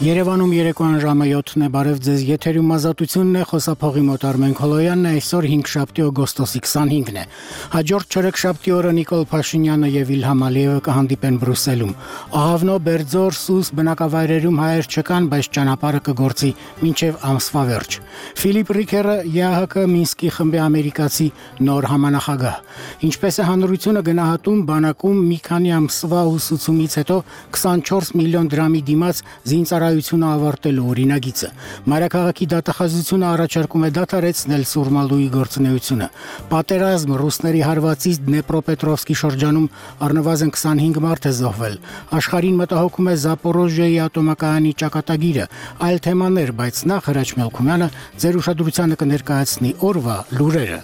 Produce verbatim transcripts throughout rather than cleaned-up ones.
Երևանում երեկոյան ժամը յոթն է, բարև ձեզ, եթերում ազատությունն է, խոսափողի մոտ Արմեն Քոլոյանն է, այսօր հինգշաբթի օգոստոսի քսանհինգն է։ Հաջորդ չորեքշաբթի օրը Նիկոլ Փաշինյանը եւ Իլհամ Ալիևը կհանդիպեն Բրյուսելում։ Ահավնո, Բերձոր, Սուս բնակավայրերում հայեր չկան, բայց ճանապարհը կգործի մինչեւ ամսվա վերջ։ Ֆիլիպ Ռիքերը ԵԱՀԿ Մինսկի խմբի ամերիկացի նոր համանախագահ։ Ինչպես է հանրությունը գնահատում բանակում մի քանի ամսվա ուսուցումից հետո քսանչորս միլիոն դրամի դիմաց զինծառայությունը ավարտելու օրինագիծը։ Մայրաքաղաքի դատախազությունը առաջարկում է դադարեցնել Սուրմալուի գործունեությունը։ Պատերազմ ռուսների հարվածից Դնեպրոպետրովսկի շրջանում առնվազն քսանհինգ մարդ է զոհվել։ Աշխարհին մտահոգում է Զապորոժիայի ատոմակայանի ճակատագիրը, այլ թեմաներ, բայց նախ Հրաչ Մելքումյանը ձեր ուշադրությանը կներկայացնի օրվա լուրերը։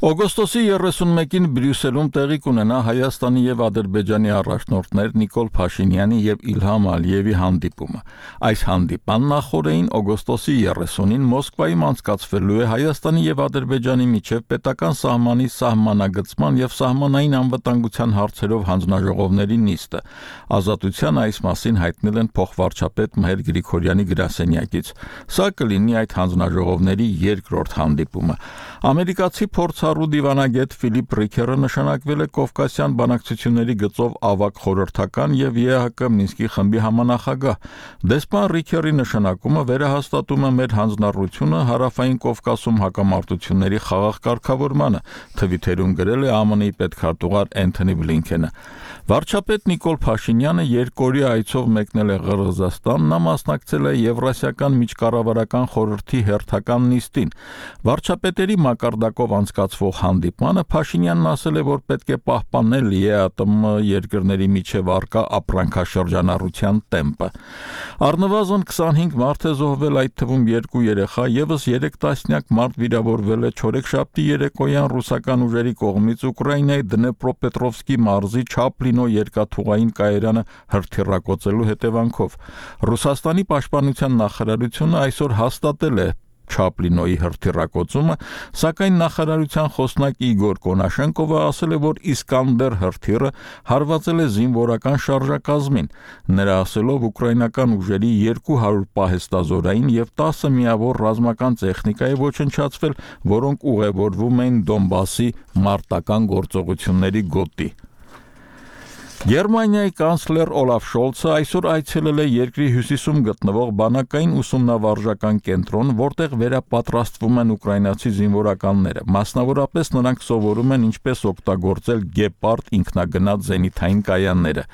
Օգոստոսի երեսունմեկին Բրյուսելում տեղի կունենա Հայաստանի եւ Ադրբեջանի առաջնորդներ Նիկոլ Փաշինյանի եւ Իլհամ Ալիևի հանդիպումը։ Այս հանդիպան նախորդին օգոստոսի երեսունին Մոսկվայում անցկացվելու է Հայաստանի եւ Ադրբեջանի միջև պետական սահմանի սահմանագծման եւ սահմանային անվտանգության հարցերով հանձնաժողովների նիստը։ Ազատության այս մասին հայտնել են փոխվարչապետ Մհեր Գրիգորյանի գրասենյակից։ Սա կլինի այդ հանձնաժողովների երկրորդ հանդիպումը։ Ամերիկացի փորձառու դիվանագետ Ֆիլիպ Ռիքերը նշանակվել է Կովկասյան բանակցությունների գծով ավագ խորհրդական եւ ԵԱՀԿ Մինսկի խմբի համանախագահ։ Դեսպան Ռիքերի նշանակումը վերահաստատում է մեր հանձնառությունը Հարավային Կովկասում հակամարտությունների խաղաղ կարգավորմանը, թվիթերում գրել է ԱՄՆ-ի պետքարտուղար Էնթոնի Բլինքենը։ Վարչապետ Նիկոլ Փաշինյանը երկօրյա այցով մեկնել է Ղրղզստան, նա մասնակցել է Եվրասիական միջկառավարական խորհրդի հերթական նիստին։ Վարչապետերի մակարդակով անցկացվող հանդիպմանը Փաշինյանն ասել է, որ պետք է պահպանել ԵԱՏՄ երկրների միջև առկա ապրանքաշրջանառության տեմպը։ Առնվազն քսանհինգ մարդ է զոհվել, այդ թվում երկու երեխա, եւս երեք տասնյակ մարդ վիրավորվել է չորեքշաբթի երեկոյան ռուսական ուժերի կողմից Ուկրաինայի Դնեպրոպետրովսկի մարզի Չապլինո երկաթուղային կայարանը հրթիռակոծելու հետևանքով։ Ռուսաստանի պաշտպանության նախարարությունը այսօր հաստատել է Չապլինոյի հրթիռակոծումը, սակայն նախարարության խոսնակ Իգոր Կոնաշենկովը ասել է, որ Իսկանդեր հրթիռը հարվածել է զինվորական շարժակազմին։ Նրա ասելով ուկրաինական ուժերի երկու հարյուր պահեստազորային եւ տասը միավոր ռազմական տեխնիկա է ոչնչացվել, որոնք ուղևորվում էին Դոնբասի մարտական գործողությունների գոտի։ Գերմանիայի կանցլեր Օլաֆ Շոլցը այսօր այցելել է երկրի հյուսիսում գտնվող բանակային ուսումնավարժական կենտրոն, որտեղ վերապատրաստվում են ուկրաինացի զինվորականները։ Մասնավորապես նրանք սովորում են ինչպես օգտագործել Գեպարդ ինքնագնաց զենիթային կայանները։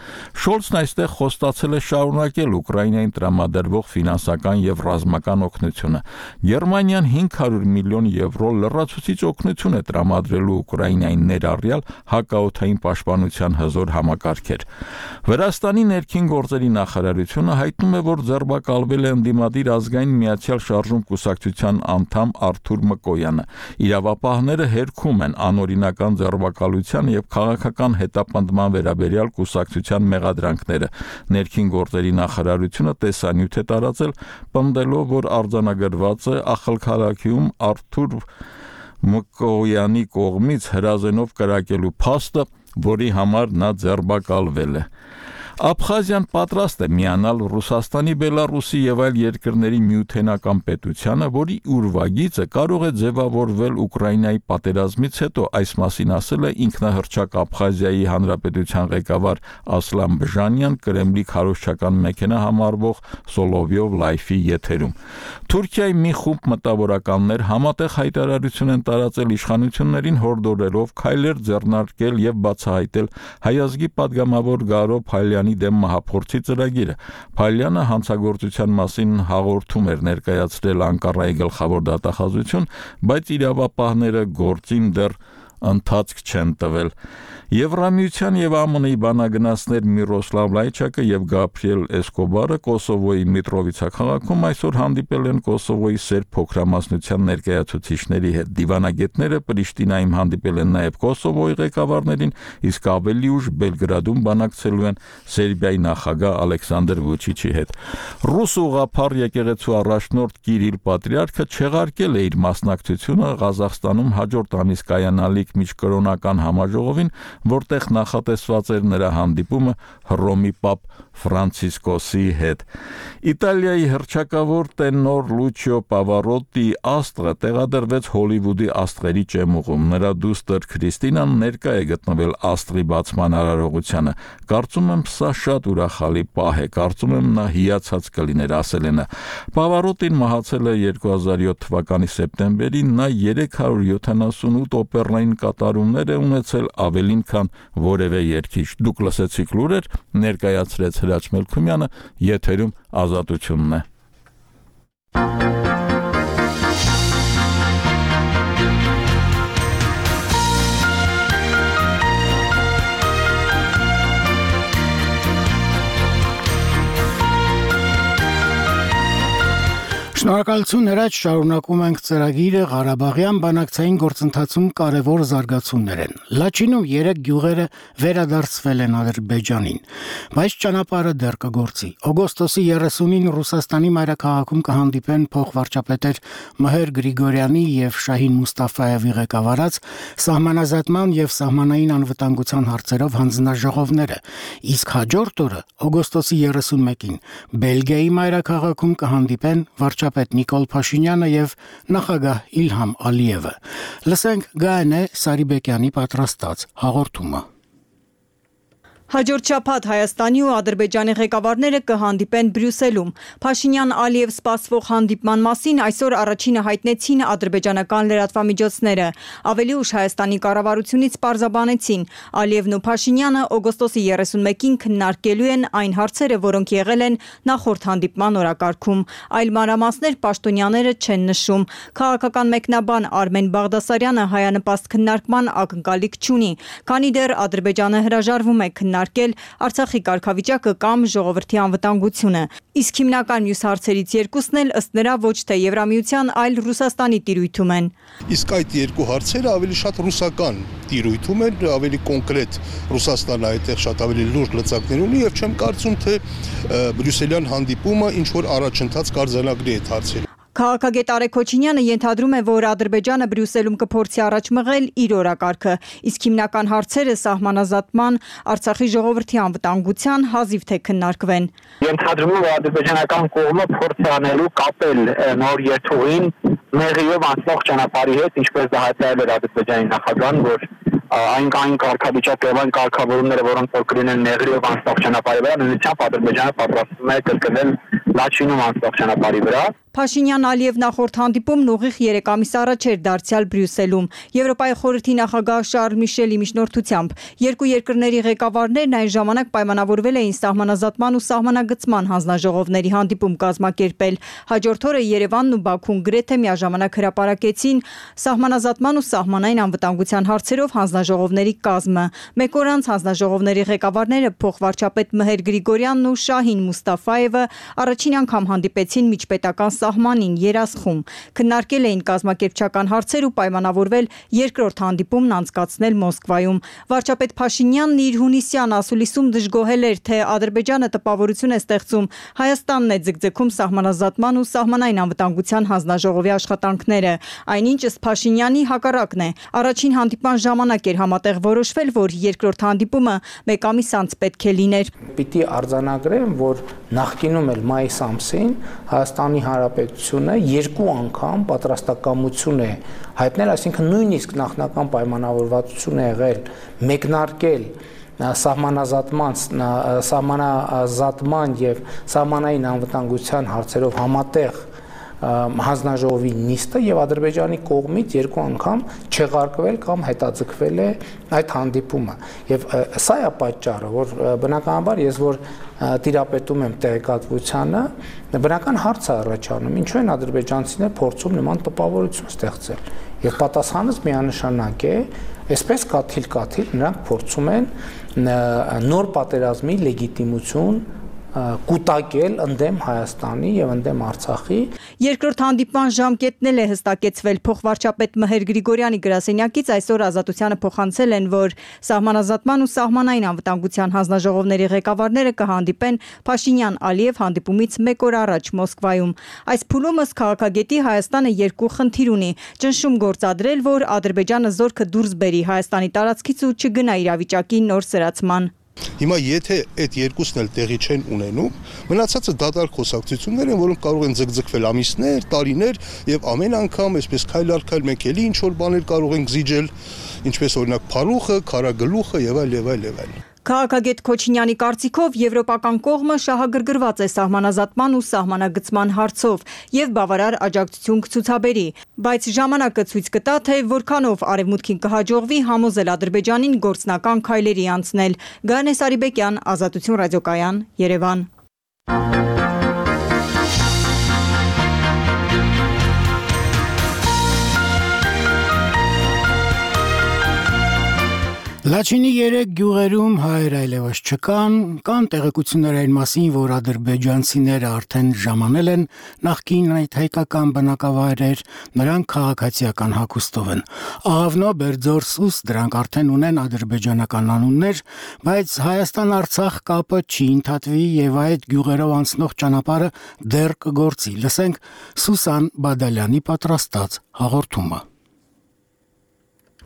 Շոլցն այստեղ խոստացել է շարունակել Ուկրաինային տրամադրվող ֆինանսական եւ ռազմական օգնությունը։ Գերմանիան հինգ հարյուր միլիոն եվրո լրացուցիչ օգնություն է տրամադրելու Ուկրաինային ներառյալ հակաօդային պաշտպանության հզոր համակարգ։ Վրաստանի ներքին գործերի նախարարությունը հայտնում է, որ ձերբակալվել է ընդդիմադիր ազգային միացյալ շարժում կուսակցության անդամ Արթուր Մկոյանը։ Իրավապահները հերքում են անօրինական ձերբակալության եւ քաղաքական հետապնդման վերաբերյալ կուսակցության մեղադրանքները։ Ներքին գործերի նախարարությունը տեսանյութ է տարածել, պնդելով, որ արձանագրված է ախալքալաքիում Արթուր Մկոյանի կողմից հրազենով կրակելու փաստը, որի համար նա ձերբակալվել է։ Աբխազիան պատրաստ է միանալ Ռուսաստանի, Բելարուսի եւ այլ երկրների միութենական պետությանը, որի ուրվագիծը կարող է ձևավորվել Ուկրաինայի պատերազմից հետո, այս մասին ասել է ինքնահռչակ Աբխազիայի հանրապետության ղեկավար Ասլան Բժանյան Կրեմլի քարոզչական մեքենա համարվող Սոլովյով լայֆի եթերում։ Թուրքիայի մի խումբ մտավորականներ համատեղ հայտարարություն են տարածել իշխանություններին հորդորելով քայլեր ձեռնարկել եւ բացահայտել հայազգի падգամավոր Գարո Փալյանի դեմ մահափորձի ծրագիրը։ Փալյանը հանցագործության մասին հաղորդում էր ներկայացրել Անկարայի գլխավոր դատախազություն, բայց իրավապահները գործին դեռ ընթացք չեն տվել։ Եվրամիության եւ ԱՄՆ-ի բանագնացներ Միրոսլավ Լայչակը եւ Գաբրիել Էսկոբարը Կոսովոյի Միտրովիցա քաղաքում այսօր հանդիպել են Կոսովոյի սերբ փոքրամասնության ներկայացուցիչների հետ։ Դիվանագետները Պրիշտինայում հանդիպել են նաեւ Կոսովոյի ղեկավարներին, իսկ ավելի ուշ Բելգրադում բանակցելու են Սերբիայի նախագահ Ալեքսանդր Վուչիչի հետ։ Ռուս ուղղափառ եկեղեցու առաջնորդ Կիրիլ Պատրիարքը չեղարկել է իր մասնակցությունը Ղազախստանում հաջորդ ամիս կայանալիք միջկրոնական համաժողովին, որտեղ նախատեսված էր նրա հանդիպումը Հռոմի պապ Ֆրանցիսկոսի հետ։ Իտալիայի հռչակավոր տենոր Լուչիո Պավարոտի աստղը տեղադրվեց Հոլիվուդի աստղերի ճեմուղում։ Նրա դուստր Քրիստինան ներկա է գտնվել աստղի բացման արարողությանը։ Կարծում եմ, սա շատ ուրախալի պահ է, կարծում եմ նա հիացած կլիներ, ասել է նա։ Պավարոտին մահացել է երկու հազար յոթ թվականի սեպտեմբերին, նա երեք հարյուր յոթանասունութ օպերային կատարումներ է ունեցել, ավելին քան որևէ երգիչ։ Դուք լսեցիք լուրեր, ներկայացրեց Հրաչ Մելքումյանը, եթերում Ազատությունն է։ Շնորհակալություն Հրաչ, շարունակում ենք ծրագիրը Ղարաբաղյան բանակցային գործընթացում կարևոր զարգացումներ են։ Լաչինում երեք գյուղերը վերադարձվել են Ադրբեջանին, բայց ճանապարհը դեռ կգործի։ Օգոստոսի երեսունին Ռուսաստանի մայրաքաղաքում կհանդիպեն փոխվարչապետեր Մհեր Գրիգորյանի եւ Շահին Մուստաֆայևի ղեկավարած սահմանազատման եւ սահմանային անվտանգության հարցերով հանձնաժողովները, իսկ հաջորդ օրը օգոստոսի երեսունմեկին Բելգիայի մայրաքաղաքում կհանդիպեն վարչապետ Նիկոլ Փաշինյանը եւ նախագահ Իլհամ Ալիևը։ Լսենք Գայանե Սարիբեկյանի պատրաստած հաղորդումը։ Հաջորդ շաբաթ Հայաստանի ու Ադրբեջանի ղեկավարները կհանդիպեն Բրյուսելում։ Փաշինյան-Ալիև սպասվող հանդիպման մասին այսօր առաջինը հայտնեցին ադրբեջանական լրատվամիջոցները։ Ավելի ուշ Հայաստանի կառավարությունից պարզաբանեցին, Ալիևն ու Փաշինյանը օգոստոսի երեսունմեկին քննարկելու են այն հարցերը, որոնք եղել են նախորդ հանդիպման օրակարգում։ Այլ մանրամասներ պաշտոնյաները չեն նշում։ Քաղաքական մեկնաբան Արմեն Բաղդասարյանը հայանպաստ քննարկման ակնկալիք չունի, քանի դեռ Ադրբեջանը հրաժարվում է քննարկել Արցախի կարգավիճակը կամ ժողովրդի անվտանգությունը։ Իսկ հիմնական մյուս հարցերից երկուսն էլ ըստ նրա ոչ թե Եվրամիության, այլ Ռուսաստանի տիրույթում են։ Իսկ այդ երկու հարցերը ավելի շատ ռուսական տիրույթում են, ավելի կոնկրետ Ռուսաստանը այդտեղ շատ ավելի լուրջ լծակներ ունի եւ չեմ կարծում թե բրյուսելյան հանդիպումը ինչ որ առաջընթաց կարձանագրի այդ հարցերը։ Քաղաքագետ Արեգ Քոչինյանը ենթադրում է, որ Ադրբեջանը Բրյուսելում կփորձի առաջ մղել իր օրակարգը, իսկ հիմնական հարցերը սահմանազատման, Արցախի ժողովրդի անվտանգության հազիվ թե քննարկվեն։ Ենթադրում է, որ ադրբեջանական կողմը փորձ է անելու կապել նոր երթուղին Մեղրիով անցնող ճանապարհի հետ, ինչպես դա հայտարարել էր Ադրբեջանի նախագահան, որ այն կային կարգավիճակ եւ այն կարգավորումները, որոնք որ կլինեն Մեղրիով անցնող ճանապարհի վրա, նույնիսկ Ադրբեջանը պատրաստվում է կրկնել Լաչինում անցնող ճանապարհի վրա։ Փաշինյան-Ալիև նախորդ հանդիպումն ուղիղ երեք ամիս առաջ էր դարձյալ Բրյուսելում, Եվրոպայի խորհրդի նախագահ Շարլ Միշելի միջնորդությամբ։ Երկու երկրների ղեկավարներն այն ժամանակ պայմանավորվել էին սահմանազատման ու սահմանագծման հանձնաժողովների հանդիպում կազմակերպել։ Հաջորդ օրը Երևանն ու Բաքուն գրեթե միաժամանակ հրապարակեցին սահմանազատման ու սահմանային անվտանգության հարցերով հանձնաժողովների կազմը։ Մեկ օր անց հանձնաժողովների ղեկավարները փոխվարչապետ Մհեր Գրիգորյանն ու Շահին Մուստաֆայևը առաջին անգամ հանդիպեցին միջպետական սահմանին Երասխում, քննարկել էին կազմակերպչական հարցեր ու պայմանավորվել երկրորդ հանդիպումն անցկացնել Մոսկվայում։ Վարչապետ Փաշինյանն իր հունիսյան ասուլիսում դժգոհել էր, թե Ադրբեջանը տպավորություն է ստեղծում Հայաստանն է ձգձգում սահմանազատման ու սահմանային անվտանգության հանձնաժողովի աշխատանքները։ Այնինչ ըստ Փաշինյանի հակառակն է։ Առաջին հանդիպման ժամանակ էր համատեղ որոշվել, որ երկրորդ հանդիպումը մեկ ամիս անց պետք է լիներ։ Պիտի արձանագրեմ, որ նախկինում էլ մայիս ամսին Հայաստանի Հանրապետությունը երկու անգամ պատրաստակամություն է հայտնել, այսինքն նույնիսկ նախնական պայմանավորվածություն է եղել մեկնարկել սահմանազատման, սահմանազատման եւ սահմանային անվտանգության հարցերով համատեղ հանձնաժողովի նիստը եւ Ադրբեջանի կողմից երկու անգամ չեղարկվել կամ հետաձգվել է այդ հանդիպումը եւ սա է պատճառը, որ բնականաբար ես որ տիրապետում եմ տեղեկատվությանը, բնական հարց է առաջանում, ինչու են ադրբեջանցիները փորձում նման տպավորություն ստեղծել եւ պատասխանս միանշանակ է, այսպես կաթիլ-կաթիլ նրանք փորձում են նոր պատերազմի լեգիտիմություն կուտակել ընդդեմ Հայաստանի եւ ընդդեմ Արցախի։ Երկրորդ հանդիպման ժամկետն էլ է հստակեցվել փոխվարչապետ Մհեր Գրիգորյանի գրասենյակից այսօր Ազատությանը փոխանցել են, որ սահմանազատման ու սահմանային անվտանգության հանձնաժողովների ղեկավարները կհանդիպեն Փաշինյան-Ալիև հանդիպումից մեկ օր առաջ Մոսկվայում։ Այս փուլում ըստ քաղաքագետի Հայաստանը երկու խնդիր ունի՝ ճնշում գործադրել, որ Ադրբեջանը զորքը դուրս բերի Հայաստանի տարածքից ու չգնա իրավիճակի նոր սրացման։ Հիմա եթե այդ երկուսն էլ տեղի չեն ունենում, մնացածը դատարկ խոսակցություններ են, որոնք կարող են ձգձգվել ամիսներ, տարիներ եւ ամեն անգամ այսպես քայլ առ քայլ մենք էլի ինչ որ բաներ կարող ենք զիջել, ինչպես օրինակ Փարուխը, Քարագլուխը եւ այլ եւ այլ եւ այլ։ Քաղաքագետ Քոչինյանի կարծիքով եվրոպական կողմը շահագրգռված է սահմանազատման ու սահմանագծման հարցով եւ բավարար աջակցություն կցուցաբերի, բայց ժամանակը ցույց կտա, թե որքանով արևմուտքին կհաջողվի համոզել Ադրբեջանին գործնական քայլերի անցնել։ Գանե Սարիբեկյան, Ազատություն ռադիոկայան, Երևան։ Լաչինի երեք գյուղերում հայեր այլևս չկան, կան տեղեկություններ այն մասին, որ ադրբեջանցիները արդեն ժամանել են նախկին այդ հայկական բնակավայրեր, նրանք քաղաքացիական հագուստով են։ Աղավնո, Բերձոր, Սուս դրանք արդեն ունեն ադրբեջանական անուններ, բայց Հայաստան-Արցախ կապը չի ընդհատվի եւ այդ գյուղերով անցնող ճանապարհը դեռ կգործի։ Լսենք Սուսան Բադալյանի պատրաստած հաղորդումը։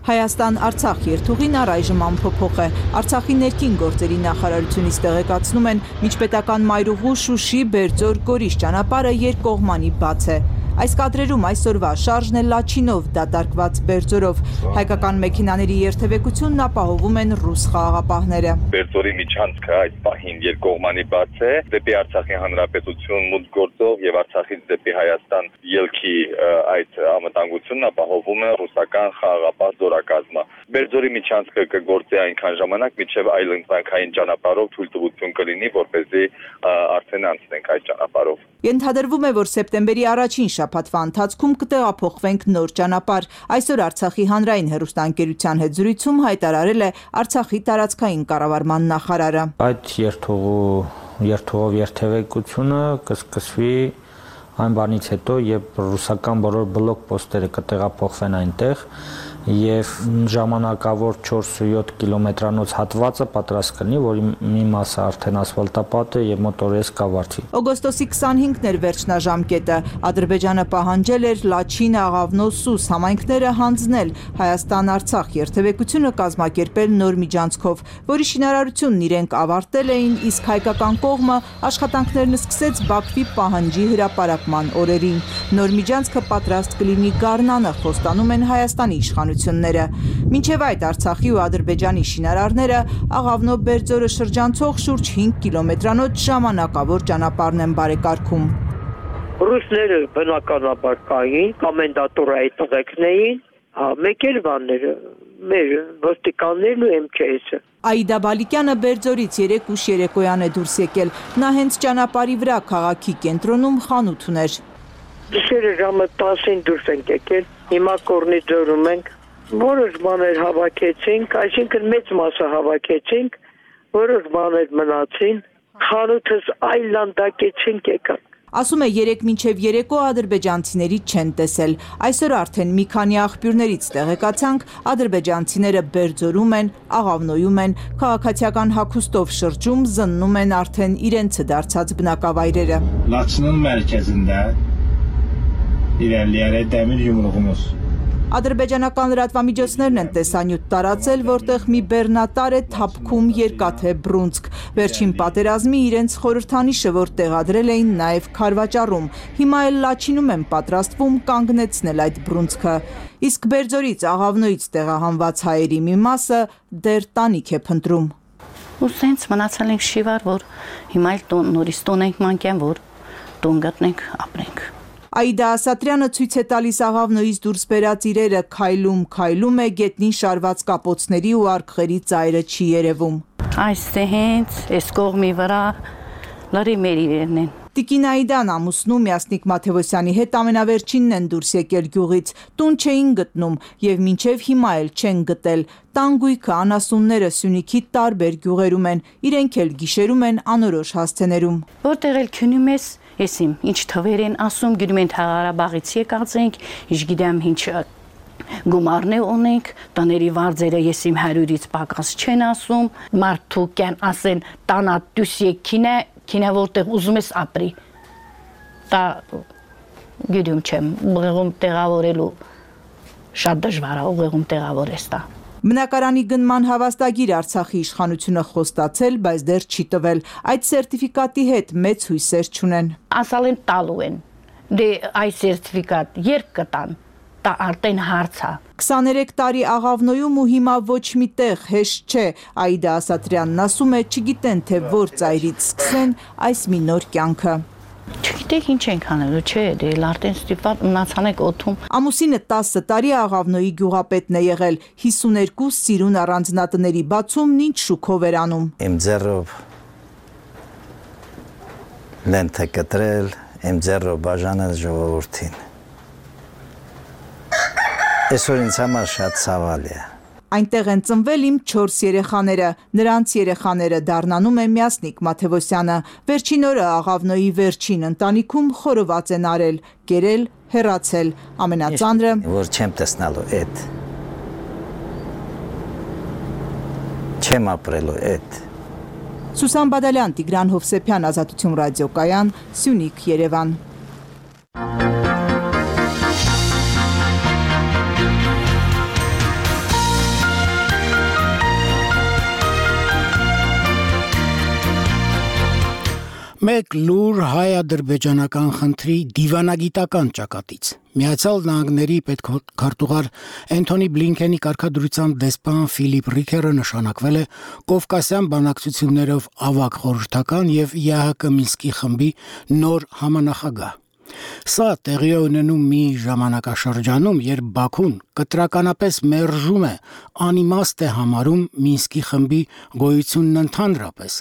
Հայաստան-Արցախ երթուղին առայժմ անփոփոխ է։ Արցախի ներքին գործերի նախարարությունից տեղեկացնում են, միջպետական մայրուղու Շուշի Բերձոր Գորիս ճանապարհը երկկողմանի բաց է։ Այս կադրերում այսօրվա շարժն է Լաչինով դատարկված Բերձորով։ Հայկական մեքենաների երթևեկությունն ապահովում են ռուս խաղաղապահները։ Բերձորի միջանցքը այդ պահին երկկողմանի բաց է, դեպի Արցախի հանրապետություն մուտք գործող եւ Արցախից դեպի Հայաստան ելքի այդ անվտանգությունն ապահովում է ռուսական խաղաղապահ զորակազմը։ Բերձորի միջանցքը կգործի այնքան ժամանակ, մինչև այլ ընտրանքային ճանապարհով թույլտվություն կլինի, որպեսզի արդեն անցնենք այդ ճանապարհով։ Ենթադրվում է, որ սեպտեմբերի առաջին շաբաթվա ընթացքում կտեղափոխվենք նոր ճանապարհ։ Այսօր Արցախի հանրային հեռուստաընկերության հետ զրույցում հայտարարել է Արցախի տարածքային կառավարման նախարարը։ Այդ երթուղու երթուղով երթևեկությունը կսկսվի այն բանից հետո, երբ ռուսական բոլոր բլոկ պոստերը կտեղափոխվեն այնտեղ եւ ժամանակավոր չորս ու յոթ կիլոմետրանոց հատվածը պատրաստ կլինի, որի մի մասը արդեն ասֆալտապատ է եւ մոտորես կավարտի։ Օգոստոսի քսանհինգն էր վերջնաժամկետը։ Ադրբեջանը պահանջել էր Լաչին, Աղավնո, Սուս համայնքները հանձնել Հայաստան-Արցախ երթևեկությունը կազմակերպել նոր միջանցքով, որի շինարարությունն իրենք ավարտել էին, իսկ հայկական կողմը աշխատանքներն սկսեց Բաքվի պահանջի հրապարակման օրերին։ Նոր միջանցքը պատրաստ կլինի Գառնանը, խոստանում են Հայաստանի իշխանությունները։ Մինչև այդ Արցախի ու Ադրբեջանի շինարարները Աղավնո Բերձորը շրջանցող շուրջ հինգ կիլոմետրանոց ժամանակավոր ճանապարհն են բարեկարգում։ Ռուսները բնականաբար կային, կոմենդատորայի տղեկն էին, մեկ էլ բանները, մեր ոստիկաններն ու էմ քեյ էսը։ Աիդա Բալիկյանը Բերձորից երեք ուշ երեկոյան է դուրս եկել։ Նա հենց ճանապարհի վրա քաղաքի կենտրոնում խանութ ուներ։ Գիշերը ժամը տասին դուրս ենք եկել, հիմա Կորնիձորում ենք, որոշ բաներ հավաքեցինք, այսինքն մեծ մասը հավաքեցինք, որոշ բաներ մնացին, խանութս այլ լանդակեցինք եկանք։ Ասում է երեք մինչև երեկո ադրբեջանցիների չեն տեսել։ Այսօր արդեն մի քանի աղբյուրներից տեղեկացանք, ադրբեջանցիները Բերձորում են, Աղավնոյում են, քաղաքացիական հագուստով շրջում, զննում են արդեն իրենցը դարձած բնակավայրերը։ Laçının mərkəzində իրəliyərək dəmir yumruğumuz։ Ադրբեջանական լրատվամիջոցներն են տեսանյութ տարածել, որտեղ մի բեռնատար է թափքում երկաթե բռունցք։ Վերջին պատերազմի իրենց խորհրդանիշը, որ տեղադրել էին նաև Քարվաճառում, հիմա էլ Լաչինում են պատրաստվում կանգնեցնել այդ բռունցքը։ Իսկ Բերձորից, Աղավնոյից տեղահանված հայերի մի մասը դեռ տանիք է փնտրում։ Ու սենց մնացել ենք շիվար, որ հիմա էլ նորից տուն ենք մանկյան, որ տուն գտնենք, ապրենք։ Աիդա Ասատրյանը ցույց է տալիս Աղավնոյից դուրս բերած իրերը, քայլում, քայլում է, գետնին շարված կապոցների ու արկղերի ծայրը չի երևում։ Այստեղ հենց այս կողմի վրա լրի մեր իրերն են։ Տիկին Այդան ամուսնու Միասնիկ Մաթևոսյանի հետ ամենավերջինն են դուրս եկել գյուղից, տուն չէին գտնում եւ մինչեւ հիմա էլ չեն գտել։ Տանգույքը անասունները Սյունիքի տարբեր գյուղերում են, իրենք էլ գիշերում են անորոշ հասցեներում։ Որտեղ էլ քնում ես, եսիմ ինչ թվեր են ասում, գնում են Ղարաբաղից եկած ենք, ինչ գիտեմ ինչ գումարն ունենք, տների վարձերը եսիմ հարյուրից պակաս չեն ասում, մարդու կան ասեն տանա դուս եկինե Քինը որտեղ ուզում ես ապրի, դա գիտում չեմ, ուղեղում տեղավորելու շատ դժվար է, ուղեղում տեղավորես դա։ Բնակարանի գնման հավաստագիր Արցախի իշխանությունը խոստացել, բայց դեռ չի տվել, այդ սերտիֆիկատի հետ մեծ հույսեր չունեն։ Ասալ են տալու են, դե այս սերտիֆիկատ երբ կտան, դա արդեն հարց է։ քսաներեք տարի Աղավնոյում ու հիմա ոչ մի տեղ հեշտ չէ, Աիդա Ասատրյանն ասում է, չգիտեն թե որ ծայրից սկսեն այս մի նոր կյանքը։ Չգիտեք ինչ ենք անելու, չէ, դե արդեն ստիպված մնացանեք օդում։ Ամուսինը տասը տարի Աղավնոյի գյուղապետն է եղել, հիսուներկու սիրուն առանձնատների բացումն ինչ շուքով էր անում։ Իմ ձեռով լենթ է կտրել, իմ ձեռով բաժանել ժողովրդին։ Այսօր ինձ համար շատ ցավալի է։ Այնտեղ են ծնվել իմ չորս երեխաները, նրանց երեխաները դառնանում է Միասնիկ Մաթևոսյանը։ Վերջին օրը Աղավնոյի վերջին ընտանիքում խորոված են արել, կերել, հեռացել, ամենածանրը որ չեմ տեսնալու այդ։ Չեմ ապրելու այդ։ Սուսան Բադալյան, Տիգրան Հովսեփյան, Ազատություն ռադիոկայան, Սյունիք, Երևան։ Մեկ լուր հայ-ադրբեջանական խնդրի դիվանագիտական ճակատից։ Միացյալ Նահանգների պետքարտուղար Էնթոնի Բլինքենի կարգադրությամբ դեսպան Ֆիլիպ Ռիքերը նշանակվել է Կովկասյան բանակցություններով ավագ խորհրդական եւ ԵԱՀԿ Մինսկի խմբի նոր համանախագահ։ Սա տեղի է ունենում մի ժամանակաշրջանում, երբ Բաքուն կտրականապես մերժում է, անիմաստ է համարում Մինսկի խմբի գոյությունն ընդհանրապես։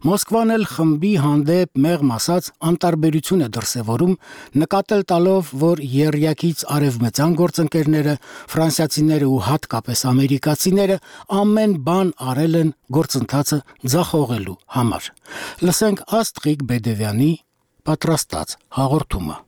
Մոսկվան էլ խմբի հանդեպ մեղմ ասած անտարբերություն է դրսևորում, նկատել տալով, որ եռյակից արևմտյան գործընկերները, ֆրանսիացիները ու հատկապես ամերիկացիները ամեն բան արել են գործընթացը ձախողելու համար։ Լսենք Աստղիկ Բեդևյանի պատրաստած հաղորդումը։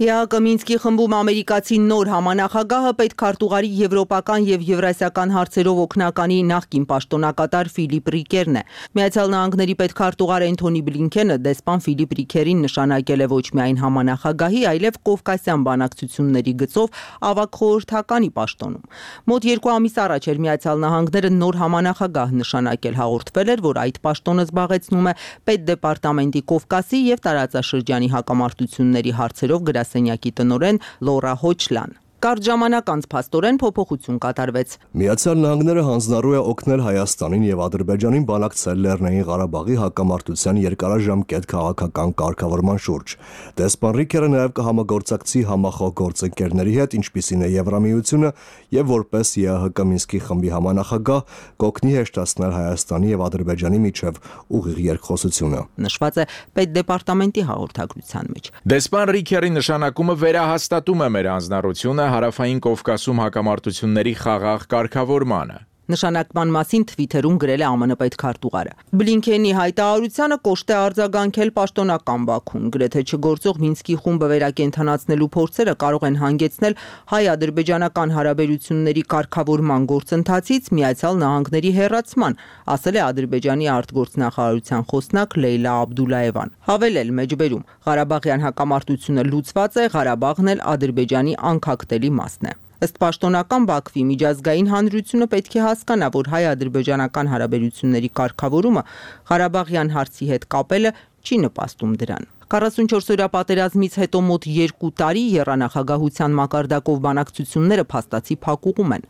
ԵԱՀԿ Մինսկի խմբում ամերիկացի նոր համանախագահը պետքարտուղարի եվրոպական եւ եվրասիական հարցերով օգնականի նախկին պաշտոնակատար Ֆիլիպ Ռիկերն է։ Միացյալ Նահանգների պետքարտուղար Էնթոնի Բլինքենը դեսպան Ֆիլիպ Ռիկերին նշանակել է ոչ միայն համանախագահի, այլև Կովկասյան բանակցությունների գծով ավագ խորհրդականի պաշտոնում։ Մոտ երկու ամիս առաջ էր Միացյալ Նահանգները նոր համանախագահ նշանակել, հաղորդվել էր, որ այդ պաշտոնը զբաղեցնում է պետդեպարտամենտի Կովկասի եւ տարածաշրջանի հակամարտությունների հարցերով գրասենյակի Սենյակի տնօրեն Լորա Հոչլան։ Կարճ ժամանակ անց փաստորեն փոփոխություն կատարվեց։ Միացյալ Նահանգները հանձնառու է օգնել Հայաստանին եւ Ադրբեջանին բանակցել Լեռնային Ղարաբաղի հակամարտության երկարաժամկետ քաղաքական կարգավորման շուրջ։ Դեսպան Ռիկերը նաեւ կհամագործակցի համախոհ գործընկերների հետ, ինչպիսին է Եվրամիությունը, եւ որպես ԵԱՀԿ Մինսկի խմբի համանախագահ կօգնի հեշտացնել Հայաստանի եւ Ադրբեջանի միջև ուղիղ երկխոսությունը։ Նշված է պետդեպարտամենտի հաղորդագրության մեջ։ Դեսպան Ռիկերի նշանակումը վերահաստատում է մեր հանձնառությունը Հարավային Կովկասում հակամարտությունների խաղաղ կարգավորմանը։ Նշանակման մասին Թվիթերում գրել է ԱՄՆ պետքարտուղարը։ Բլինքենի հայտարարությանը կոշտ է արձագանքել պաշտոնական Բաքուն, գրեթե չգործող Մինսկի խումբը վերակենդանացնելու փորձերը կարող են հանգեցնել հայ-ադրբեջանական հարաբերությունների կարգավորման գործընթացից Միացյալ Նահանգների հեռացման, ասել է Ադրբեջանի արտգործնախարարության խոսնակ Լեյլա Աբդուլաևան։ Հավելել մեջբերում Ղարաբաղյան հակամարտությունը լուծված է, Ղարաբաղն էլ Ադրբեջանի անկախտելի մասն է։ Ըստ պաշտոնական Բաքվի միջազգային հանրությունը պետք է հասկանա, որ հայ-ադրբեջանական հարաբերությունների կարգավորումը Ղարաբաղյան հարցի հետ կապելը չի նպաստում դրան։ քառասունչորս-օրյա պատերազմից հետո մոտ երկու տարի եռանախագահության մակարդակով բանակցությունները փաստացի փակուղում են։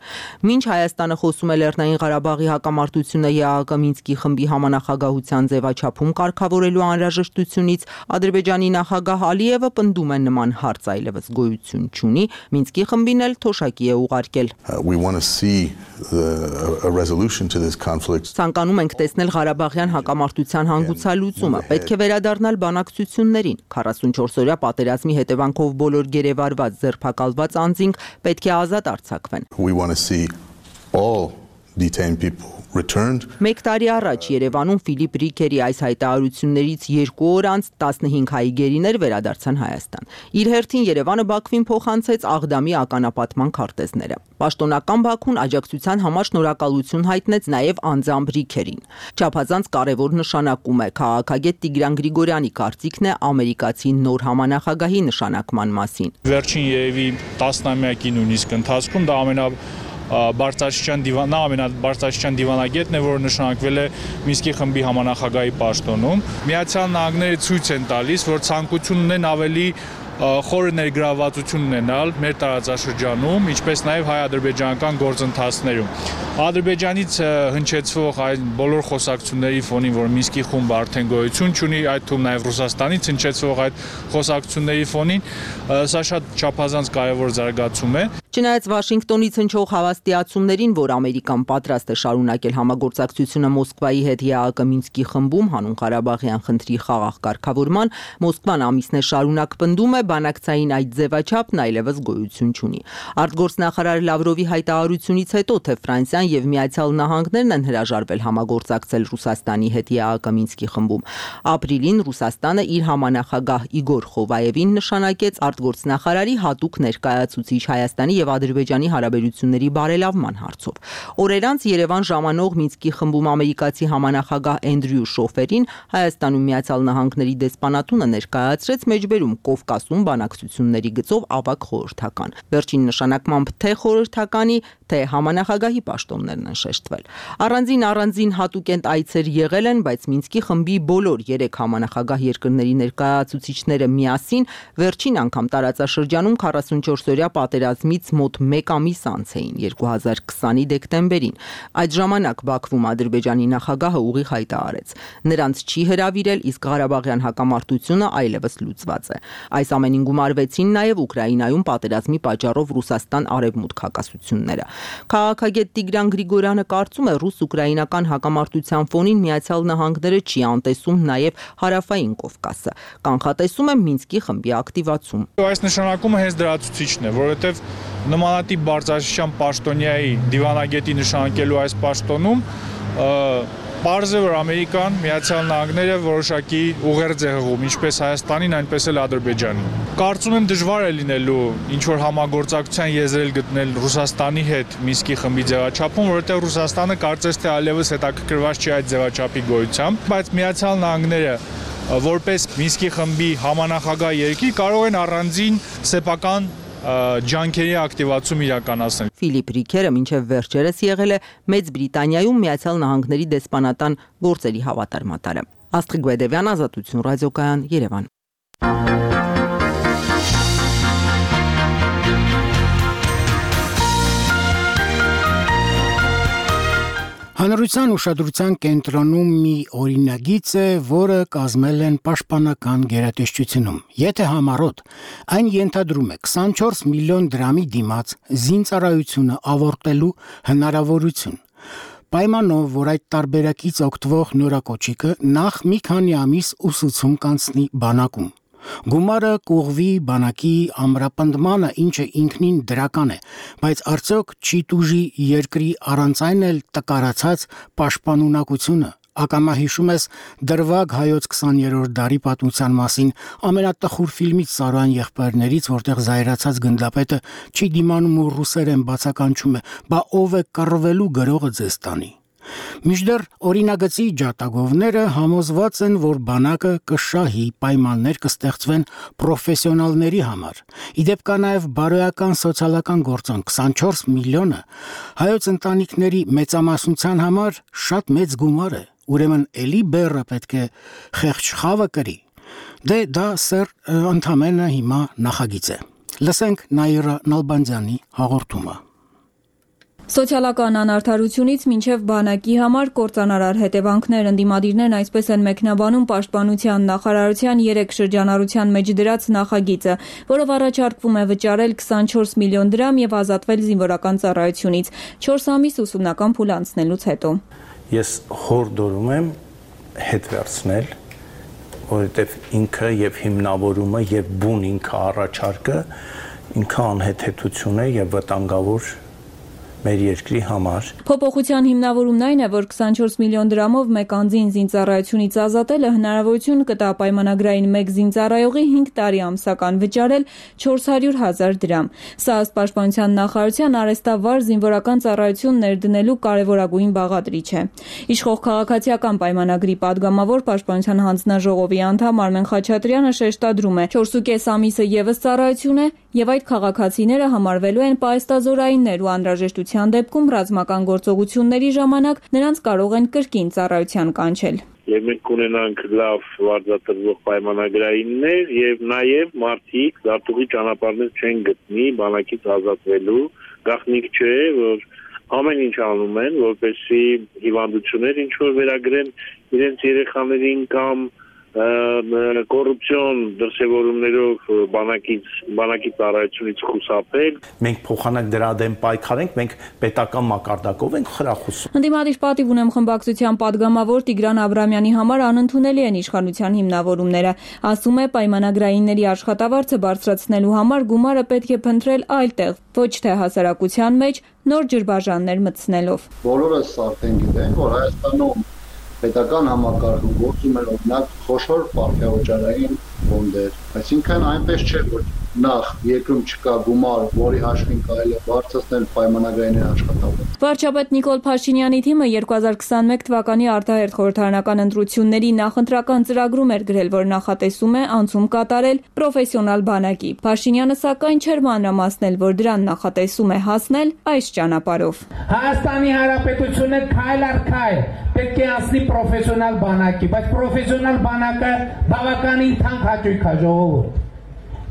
Մինչ Հայաստանը խոսում է Լեռնային Ղարաբաղի հակամարտությունը ԵԱՀԿ Մինսկի խմբի համանախագահության ձևաչափում կարգավորելու անհրաժեշտությունից, Ադրբեջանի նախագահ Ալիևը պնդում է նման հարց այլևս գոյություն չունի, Մինսկի խմբին էլ թոշակի է ուղարկել։ Ցանկանում ենք տեսնել Ղարաբաղյան հակամարտության հանգուցալուծումը, պետք է վերադառնալ բանակցություններին, քառասունչորս-օրյա պատերազմի հետևանքով բոլոր գերեվարված ձերբակալված անձինք պետք է ազատ արձակվեն։ Մեկ տարի առաջ Երևանում Ֆիլիպ Ռիկերի այս հայտարարություններից երկու օր անց տասնհինգ հայ գերիներ վերադարձան Հայաստան։ Իր հերթին Երևանը Բաքվին փոխանցեց Աղդամի ականապատման քարտեզները։ Պաշտոնական Բաքուն աջակցության համար շնորհակալություն հայտնեց նաև անձամբ Ռիկերին։ Չափազանց կարևոր նշանակում է քաղաքագետ Տիգրան Գրիգորյանի կարծիքն է ամերիկացի նոր համանախագահի նշանակման մասին։ Վերջին երևի տասնամյակի նույնիսկ ընթացքում դա ամենա Բարձրաստիճան դիվան, նա ամենաբարձրաստիճան դիվանագետն է, որը նշանակվել է Մինսկի խմբի համանախագահի պաշտոնում։ Միացյալ Նահանգները ցույց են տալիս, որ ցանկություն ունեն ավելի խորը ներգրավվածություն ունենալ մեր տարածաշրջանում, ինչպես նաև հայ-ադրբեջանական գործընթացներում։ Ադրբեջանից հնչեցվող այն բոլոր խոսակցությունների ֆոնին, որ Մինսկի խումբը արդեն գոյություն չունի, այդ թվում նաև Ռուսաստանից հնչեցվող այդ խոսակցությունների ֆոնին, սա շատ չափազանց կարևոր զարգացում է։ Չնայած Վաշինգտոնից հնչող հավաստիացումներին, որ Ամերիկան պատրաստ է շարունակել համագործակցությունը Մոսկվայի հետ ԵԱՀԿ Մինսկի խմբում հանուն Ղարաբաղյան խնդրի խաղաղ կարգավորման, Մոսկվան ամիսներ շարունակ պնդում է, բանակցային այդ ձևաչափն այլևս գոյություն չունի։ Արտգործնախարար Լավրովի հայտարարությունից հետո, թե Ֆրանսիան եւ Միացյալ Նահանգներն են հրաժարվել համագործակցել Ռուսաստանի հետ ԵԱՀԿ Մինսկի խմբում, ապրիլին Ռուսաստանը իր համանախագահ Իգոր Խովայևին նշանակեց արտգործնախարարի հատուկ ներկայացուցիչ Հայաստանի եւ Ադրբեջանի հարաբերությունների բարելավման հարցով։ Օրեր անց Երևան ժամանող Մինսկի խմբում ամերիկացի համանախագահ Էնդրյու Շոֆերին Հայաստանում Միացյալ Նահանգների դեսպանատունը ներկայացրեց մեջբերում Կովկասում բանակցությունների գծով ավագ խորհրդական։ Վերջին նշանակմամբ թե խորհրդականի, թե համանախագահի պաշտոններն են շեշտվել։ Առանձին առանձին հատուկենտ այցեր եղել են, բայց Մինսկի խմբի բոլոր երեք համանախագահ երկրների ներկայացուցիչները միասին վերջին անգամ տարածաշրջանում քառասունչորս-օրյա պատերազմից մոտ մեկ ամիս անց էին երկու հազար քսանի դեկտեմբերին։ Այդ ժամանակ Բաքվում Ադրբեջանի նախագահը ուղիղ հայտարարեց. նրանց չի հրավիրել, իսկ Ղարաբաղյան հակամարտությունը այլևս լուծված է։ Այս ամենին գումարվեցին նաև Ուկրաինայում պատերազմի պատճառով Ռուսաստան-Արևմուտք հակասությունները։ Քաղաքագետ Տիգրան Գրիգորյանը կարծում է, ռուս-ուկրաինական հակամարտության ֆոնին Միացյալ Նահանգները չի անտեսում նաև Հարավային Կովկասը, կանխատեսում է Մինսկի խմբի ակտիվացում։ Այս նշանակումը հենց դրա ցուցիչն է, որովհետև նմանատիպ բարձրաստիճան պաշտոնյայի դիվանագետի նշանակելու այս պաշտոնում պարզ է, որ Ամերիկան, Միացյալ Նահանգները որոշակի ուղերձ է հղում, ինչպես Հայաստանին, այնպես էլ Ադրբեջանին։ Կարծում եմ դժվար է լինելու ինչ-որ համագործակցության եզրել գտնել Ռուսաստանի հետ Մինսկի խմբի ձևաչափում, որովհետև Ռուսաստանը կարծես թե այլևս հետաքրքրված չի այդ ձևաչափի գոյությամբ, բայց Միացյալ Նահանգները որպես Մինսկի խմբի համանախագահ երկիր կարող են առանձին սեփական ջանքերի ակտիվացում իրականացնել։ Ֆիլիպ Ռիկերը մինչև վերջերս եղել է Մեծ Բրիտանիայում Միացյալ Նահանգների դեսպանատան գործերի հավատարմատարը։ Աստղիկ Գուեդևյան, Ազատություն ռադիոկայան, Երևան։ Հանրության ուշադրության կենտրոնում մի օրինագիծ է, որը կազմել են պաշտպանական գերատեսչությունում։ Եթե համառոտ, այն ենթադրում է քսանչորս միլիոն դրամի դիմաց զինծառայությունը ավարտելու հնարավորություն։ Պայմանով, որ այդ տարբերակից օգտվող նորակոչիկը նախ մի քանի ամիս ուսուցում կանցնի բանակում։ Գումարը կուղվի բանակի ամրապնդմանը, ինչը ինքնին դրական է, բայց արդյոք չի տուժի երկրի առանց այն էլ տկարացած պաշտպանունակությունը։ Ակամա հիշում ես Դրվագ հայոց քսաներորդ դարի պատմության մասին ամենատխուր ֆիլմից Սարոյան եղբայրներից, որտեղ զայրացած գնդապետը չի դիմանում ու ռուսերեն բացականչում է, բա ով է կռվելու գրողը ձեզ տանի։ Մինչդեռ օրինագծի ջատագովները համոզված են, որ բանակը կշահի, պայմաններ կստեղծվեն պրոֆեսիոնալների համար։ Իդեպ կա նաև բարոյական սոցիալական գործոն քսանչորս միլիոնը հայոց ընտանիքների մեծամասնության համար շատ մեծ գումար է, ուրեմն էլի բեռը պետք է խեղճ խավը կրի։ Դե դա սեր ընդամենը հիմա նախագիծ է։ Լսենք Նաիրա Նալբանդյանի հաղորդումը։ Սոցիալական անարդարությունից մինչև բանակի համար կործանարար հետևանքներ ընդդիմադիրներն այսպես են մեկնաբանում Պաշտպանության նախարարության երեք շրջանառության մեջ դրած նախագիծը, որով առաջարկվում է վճարել քսանչորս միլիոն դրամ եւ ազատվել զինվորական ծառայությունից չորս ամիս ուսումնական փուլ անցնելուց հետո։ Ես հորդորում եմ հետ վերցնել, որովհետեւ ինքը եւ հիմնավորումը եւ բուն ինքը առաջարկը ինքը անհեթեթություն է եւ վտանգավոր մեր երկրի համար։ Փոփոխության հիմնավորումն այն է, որ քսանչորս միլիոն դրամով մեկ անձին զինծառայությունից ազատելը հնարավորություն կտա պայմանագրային մեկ զինծառայողի հինգ տարի ամսական վճարել չորս հարյուր հազար դրամ։ Սա ըստ Պաշտպանության նախարարության արհեստավար զինվորական ծառայություն ներդնելու կարևորագույն բաղադրիչ է։ Իշխող քաղաքացիական պայմանագրի падգամավոր Պաշտպանության հանձնաժողովի անդամ Արմեն Խաչատրյանը շեշտադրում է. չորսուկես ամիսը եւս ծառայություն է եւ այդ քաղաքացիները համարվելու են պայստազորայիններ ու անհրաժեշտության դեպքում ռազմական գործողությունների ժամանակ նրանց կարող են կրկին ծառայության կանչել։ Եվ մենք կունենանք լավ վարձատրվող պայմանագրայիններ եւ նաեւ մարդիկ դատուղի ճանապարհներ չեն գտնի բանակից ազատվելու, գաղտնիք չէ, որ ամեն ինչ անում են, որպեսզի հիվանդություններ ինչ որ վերագրեն իրենց երեխաներին կամ կոռուպցիոն դրսևորումներով բանակից բանակի ծառայությունից խուսափել։ Մենք փոխանակ դրա դեմ պայքարենք, մենք պետական մակարդակով ենք խրախուսում։ Ընդդիմադիր պատիվ ունեմ խմբակցության падգամավոր Տիգրան Աբրամյանի համար անընդունելի են իշխանության հիմնավորումները։ Ասում է պայմանագրայինների աշխատավարձը բարձրացնելու համար գումարը պետք է փնտրել այլ տեղ, ոչ թե հասարակության մեջ նոր ջրբաժաններ մտցնելով։ Բոլորս արդեն գիտենք, որ Հայաստանում պետական համակարգում գործում են օրինակ խոշոր պարբերօջարային ֆոնդեր, այսինքն այնպես չէ, որ նախ երկրում չկա գումար, որի հաշվին կարելի է բարձրացնել պայմանագրային աշխատավարձը։ Վարչապետ Նիկոլ Փաշինյանի թիմը երկու հազար քսանմեկ թվականի արտահերթ խորհրդարանական ընտրությունների նախընտրական ծրագրում էր գրել, որ նախատեսում է անցում կատարել պրոֆեսիոնալ բանակի։ Փաշինյանը սակայն չէր մանրամասնել, որ դրան նախատեսում է հասնել այս ճանապարհով։ Հայաստանի Հանրապետությունը քայլ առ քայլ պետք է անցնի պրոֆեսիոնալ բանակի, բայց պրոֆեսիոնալ բանակը բավականին թանկ հաճույք է ժողովուրդ։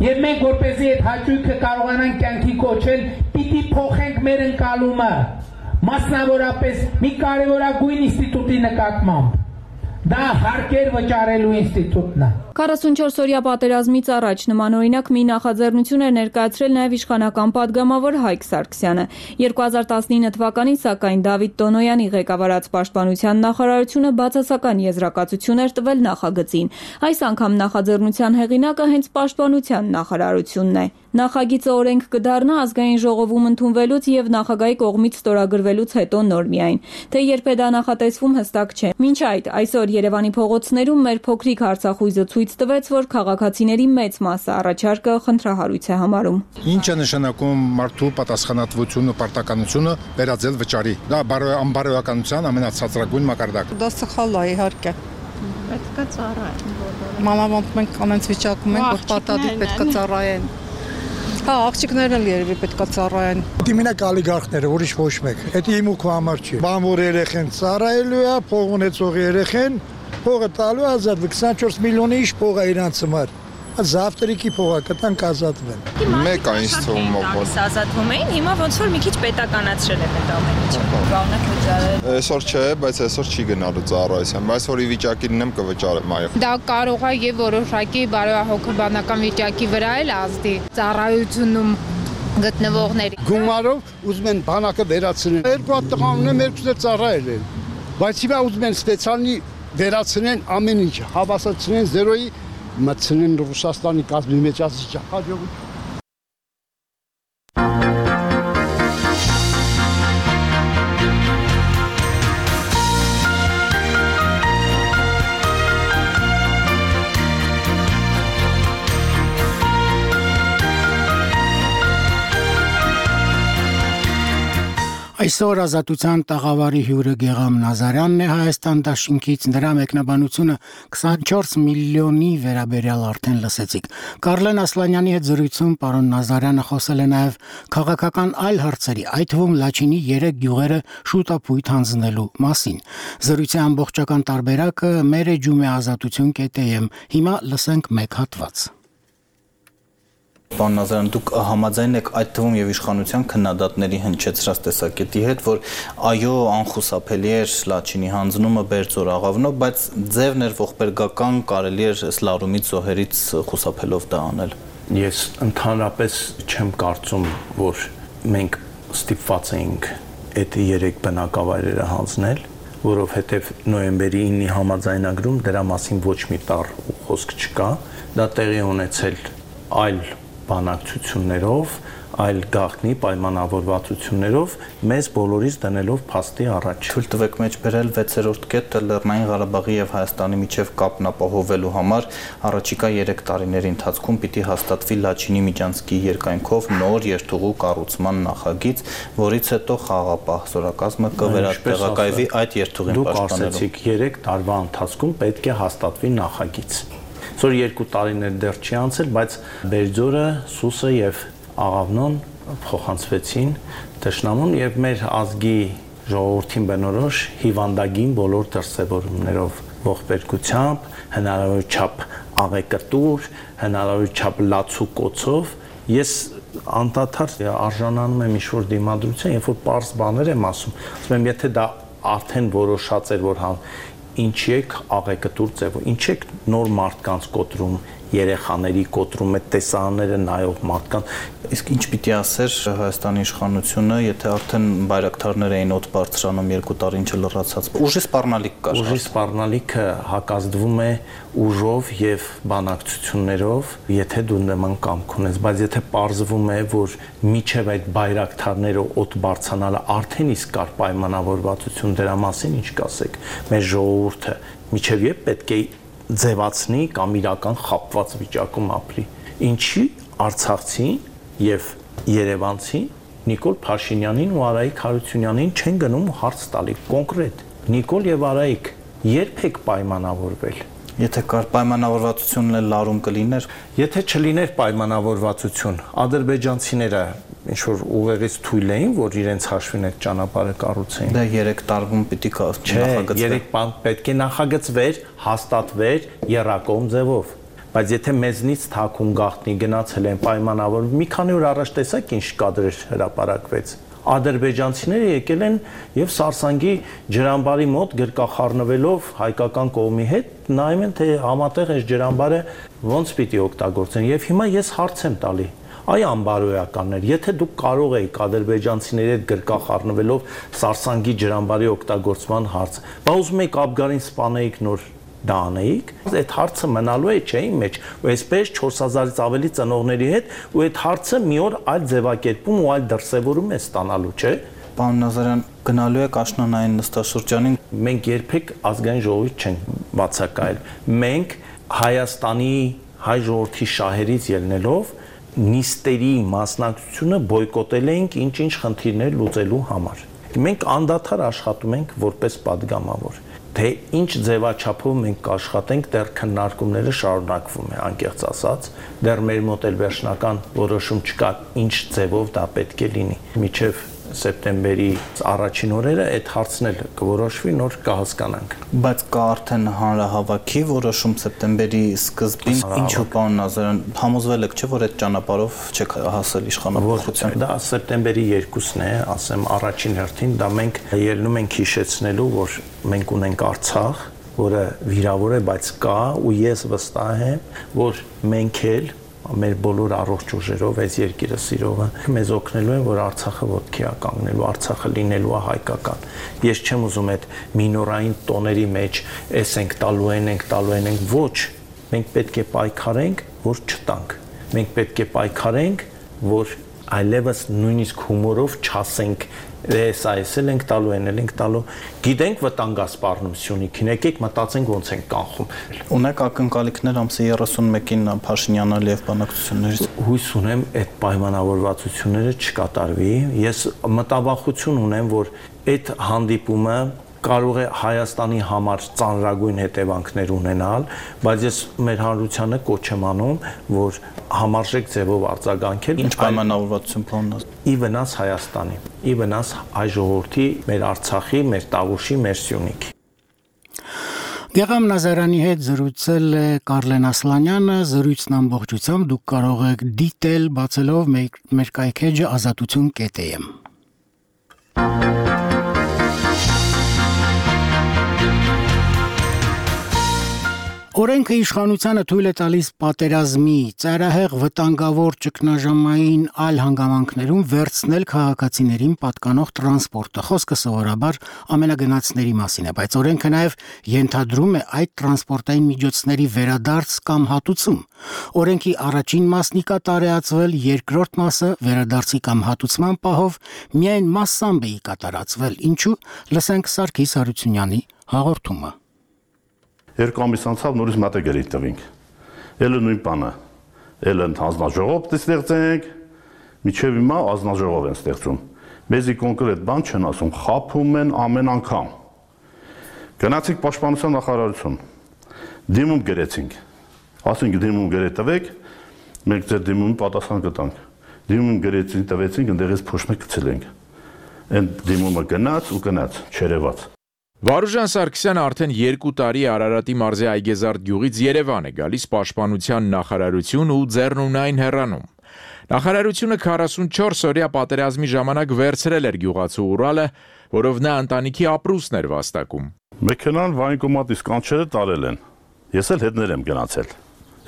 Եվ մենք որպեսզի այդ հաճույքը կարողանանք կյանքի կոչել, պիտի փոխենք մեր ընկալումը, մասնավորապես մի կարևորագույն ինստիտուտի նկատմամբ։ Դա հարկեր վճարելու ինստիտուտն է։ քառասունչորս-օրյա պատերազմից առաջ նմանօրինակ մի նախաձեռնություն էր ներկայացրել նաև իշխանական падգամավոր Հայկ Սարգսյանը։ երկու հազար տասնինը թվականին սակայն Դավիթ Տոնոյանի ղեկավարած Պաշտպանության նախարարությունը բացասական եզրակացություն էր տվել նախագծին։ Այս անգամ նախաձեռնության հեղինակը հենց Պաշտպանության նախարարությունն է։ Նախագիծը օրենք կդառնա ազգային ժողովում ընդունվելուց եւ նախագահի կողմից ստորագրվելուց հետո նոր միայն։ Թե երբ է դա նախատեսվում հստակ չէ։ Մինչ այդ այսօր Երևանի փողոցներում մեր փոքրիկ Արցախույզը ցույց տվեց, որ քաղաքացիների մեծ մասը առաջարկը խնդրահարույց է համարում։ Ինչ է նշանակում մարդու պատասխանատվությունը, պարտականությունը վերածել վճարի։ Դա անբարոյականության ամենացածրագույն մակարդակը։ Դա սխալ է, իհարկե։ Պետք է ծառայեն բոլորը։ Մանավանդ մենք ամենից վիճակում ենք, որ պարտադիր պետք է ծառայեն։ Հա, աղջիկներն էլ երևի պետք է ծառայեն։ Դի մենակ ալիգարխները, ուրիշ ոչ մեկ։ Դա իմ ու քո համար չի։ Բանվոր երեխեն ծառայելու է, փող ունեցող երեխեն փողը տալու ազատ քսանչորս միլիոնի իշ փող է իրանց համար։ Զավտրիկի փողը կտանք ազատվեն։ Մեկ է ինձ թվում որ ազատվում էին, հիմա ոնց որ մի քիչ պետականացրել են այդ ամեն ինչը։ Կանոնը վճարել։ Այսօր չէ, բայց այսօր չի գնալու ծառայության, բայց որ ի վիճակի լինեմ կվճարեմ, այո։ Դա կարող է եւ որոշակի բարոյահոգեբանական վիճակի վրա էլ ազդի ծառայությունում գտնվողների։ Գումարով ուզում են բանակը վերացնել։ Երկու հատ տղա ունեմ, երկուսը ծառայել են։ Բայց հիմա ուզում են սպեցիալնի վերացնեն ամեն ինչ, հավասարցնեն զերոյի մտցնեն Ռուսաստանի կազմի մեջ ասիճ հաջողություն։ Այսօր Ազատության տաղավարի հյուրը Գեգամ Նազարյանն է Հայաստան դաշինքից, նրա մեկնաբանությունը քսանչորս միլիոնի վերաբերյալ արդեն լսեցիք։ Կարլեն Ասլանյանի հետ զրույցում պարոն Նազարյանը խոսել է նաև քաղաքական այլ հարցերի, այդ թվում Լաչինի երեք գյուղերը շուտապույտ հանձնելու մասին։ Զրույցի ամբողջական տարբերակը մեր էջում է ազատություն կետեմ։ Հիմա լսենք մեկ հատված։ Պարոն Նազարյան, դուք համաձայն եք այդ թվում եւ իշխանության քննադատների հնչեցրած տեսակետի հետ, որ այո, անխուսափելի էր Լաչինի հանձնումը Բերձոր աղավնով, բայց ձևն էր ողբերգական, կարելի էր սլարումից զոհերից խուսափելով դա անել։ Ես ընդհանրապես չեմ կարծում, որ մենք ստիպված էինք այդ երեք բնակավայրերը հանձնել, որովհետեւ նոյեմբերի ինը համաձայնագրում դրա մասին ոչ մի տառ խոսք չկա, դա տեղի ունեցել այլ բանակցություններով, այլ գաղտնի պայմանավորվածություններով մեզ բոլորից դնելով փաստի առաջ։ Թույլ տվեք մեջ բերել վեցերորդ կետը Լեռնային Ղարաբաղի եւ Հայաստանի միջև կապն ապահովելու համար առաջիկա երեք տարիների ընթացքում պիտի հաստատվի Լաչինի միջանցքի երկայնքով նոր երթուղու կառուցման նախագիծ, որից հետո խաղաղապահ զորակազմը կվերատեղակայվի այդ երթուղին պաշտպանելու։ Դուք ասացիք երեք տարվա ընթացքում պետք է հաստատվի նախագիծ։ Որ երկու տարիներ դեռ չի անցել, բայց Բերձորը, Սուսը եւ Աղավնոն փոխանցվեցին Տշնամուն եւ մեր ազգի ժողովրդին բնորոշ հիվանդագին բոլոր դրսևորումներով, ողբերգությամբ, հնարավոր չափ աղեկտուր, հնարավոր չափ լացու կոծով, ես անդադար արժանանում եմ ինչ-որ դիմադրության, երբ որ պարզ բաներ եմ ասում, ասում եմ, եթե դա արդեն որոշած էր, որ համ ինչի եք աղեկտուր ձևով, ինչ եք նոր մարդկանց կոտրում, երեխաների կոտրում, այդ տեսարանները նայող մարդկանց, իսկ ինչ պիտի ասեր Հայաստանի իշխանությունը, եթե արդեն բայրակթարներ էին օդ բարձրանում երկու տարի ինչ լրացած, ուժի սպառնալիք կար։ Ուժի սպառնալիքը հակազդվում է ուժով եւ բանակցություններով, եթե դու նման կամք ունես, բայց եթե պարզվում է, որ միջև այդ բայրակթարները օդ բարձրանալը արդեն իսկ կար պայմանավորվածություն դրա մասին, ինչ կասեք, մեր ժողովուրդը միջև երբ պետք է ձևացնի կամ իրական խապված վիճակում ապրի։ Ինչի Արցախցին եւ Երևանցին Նիկոլ Փաշինյանին ու Արայիկ Հարությունյանին չեն գնում հարց տալի կոնկրետ։ Նիկոլ եւ Արայիկ երբ եք պայմանավորվել։ Եթե կար պայմանավորվածությունն էլ լարում կլիներ, եթե չլիներ պայմանավորվածություն, ադրբեջանցիները ինչ որ ուղեղից թույլ էին, որ իրենց հաշվին այդ ճանապարհը կառուցեին։ Դա երեք տարվում պիտի նախագծվեր։ Չէ, երեք բան պետք է նախագծվեր, հաստատվեր երակոմ ձևով։ Բայց եթե մեզնից թաքուն գաղտնի գնացել են պայմանավոր, մի քանի օր առաջ տեսակ ինչ կադրեր հրապարակվեց։ Ադրբեջանցիները եկել են եւ Սարսանգի ջրամբարի մոտ գրկախառնվելով հայկական կողմի հետ նայում են թե համատեղ այս ջրամբարը ոնց պիտի օգտագործեն եւ հիմա ես հարց եմ տալի այ անբարոյականներ եթե դուք կարող եք ադրբեջանցիների հետ գրկախառնվելով Սարսանգի ջրամբարի օգտագործման հարց բա ուզում եք Աբգարին սպանեիք նոր դա անեիք, այդ հարցը մնալու է չէ իմ մեջ, ու այսպես չորս հազարից ավելի ծնողների հետ, ու այդ հարցը մի օր այլ ձևակերպում ու այլ դրսևորում է ստանալու, չէ։ Պարոն Նազարյան, գնալու եք աշնանային նստաշրջանին, մենք երբեք ազգային ժողովուրդ չենք բացակայել։ Մենք Հայաստանի հայ ժողովրդի շահերից ելնելով նիստերի մասնակցությունը բոյկոտել էինք ինչ-ինչ խնդիրներ լուծելու համար։ Մենք անդադար աշխատում ենք որպես падգամավոր։ Թե ինչ ձևաչափով մենք կաշխատենք, դեռ քննարկումները շարունակվում է, անկեղծ ասած, դեռ մեր մոտ էլ վերջնական որոշում չկա, ինչ ձևով դա պետք է լինի։ Մինչև սեպտեմբերի առաջին օրերը այդ հարցն էլ կորոշվի, նոր կհասկանանք։ Բայց կա արդեն հանրահավաքի որոշում սեպտեմբերի սկզբին, ինչու պարոն Նազարյան, համոզվել եք չէ, որ այդ ճանապարհով չեք հասել իշխանապողության։ Դա սեպտեմբերի երկուսն է, ասեմ առաջին հերթին, դա մենք ելնում ենք հիշեցնելու, որ մենք ունենք Արցախ, որը վիրավոր է, բայց կա, ու ես վստահ եմ, որ մենք էլ մեր բոլոր առողջ ուժերով այս երկիրը սիրողը մեզ օգնելու են, որ Արցախը ոտքի է կանգնելու, Արցախը լինելու է հայկական։ Ես չեմ ուզում այդ մինորային տոների մեջ էս ենք տալու են, ենք տալու են, ենք ոչ, մենք պետք է պայքարենք, որ չտանք։ Մենք պետք է պայքարենք, որ այլևս նույնիսկ հումորով չասենք էս այս էլ ենք տալու, այն էլ ենք տալու։ Գիտենք վտանգասպառնությունիքին, եկեք մտածենք ոնց ենք կանխում։ Ունեք ակնկալիքներ ամսի երեսունմեկին Փաշինյանը Ալիև բանակցություններից։ Հույս ունեմ այդ պայմանավորվածությունները չկատարվի։ Ես մտավախություն ունեմ, որ այդ հանդիպումը կարող է Հայաստանի համար ծանրագույն հետևանքներ ունենալ, բայց ես մեր հանրությանը կոչ եմ անում, որ համարժեք ձևով արձագանքել ինչ պայմանավորվածություն planնած ի վնաս Հայաստանի, ի վնաս հայ ժողովրդի, մեր Արցախի, մեր Տավուշի, մեր Սյունիքի։ Գեգամ Նազարյանի հետ զրուցել է Կարլեն Ասլանյանը, զրույցն ամբողջությամբ դուք կարող եք դիտել բացելով մեր կայքեջը ազատություն կետ է եմ։ Օրենքը իշխանությանը թույլ է տալիս պատերազմի, ծայրահեղ վտանգավոր ճգնաժամային այլ հանգամանքներում վերցնել քաղաքացիներին պատկանող տրանսպորտը։ Խոսքը սովորաբար ամենագնացների մասին է, բայց օրենքը նաև ենթադրում է այդ տրանսպորտային միջոցների վերադարձ կամ հատուցում։ Օրենքի առաջին մասն ի կատար է ածվել, երկրորդ մասը վերադարձի կամ հատուցման պահով միայն մասամբ է ի կատարածվել։ Ինչու՞, լսենք Սարգիս Հարությունյանի հաղորդումը։ Երկու ամիս անցավ նորից մատեգերի տվինք։ Էլը նույն բանը։ Էլը հանձնաժողով ստեղծենք, միջև հիմա ազնաժողով են ստեղծում։ Մեզի կոնկրետ բան չեն ասում, խափում են ամեն անգամ։ Գնացինք պաշտպանության նախարարություն։ Դիմում գրեցինք։ Ասենք դիմում գրե տվեք, մենք ձեր դիմումի պատասխան կտանք։ Դիմում գրեցին, տվեցինք, ընդեղից փոշմը գցել ենք։ Այն դիմումը գնաց ու գնաց, չերևաց։ Վարուժան Սարգսյանը արդեն երկու տարի Արարատի մարզի Այգեզարդ գյուղից Երևան է գալիս պաշտպանության նախարարություն ու ձեռնունայն հեռանում։ Նախարարությունը քառասունչորս օրյա պատերազմի ժամանակ վերցրել էր գյուղացու Ուրալը, որով նա ընտանիքի ապրուստն էր վաստակում։ Մեքենան վայնկոմատից կանչերը տարել են։ Ես էլ հետներ եմ գնացել։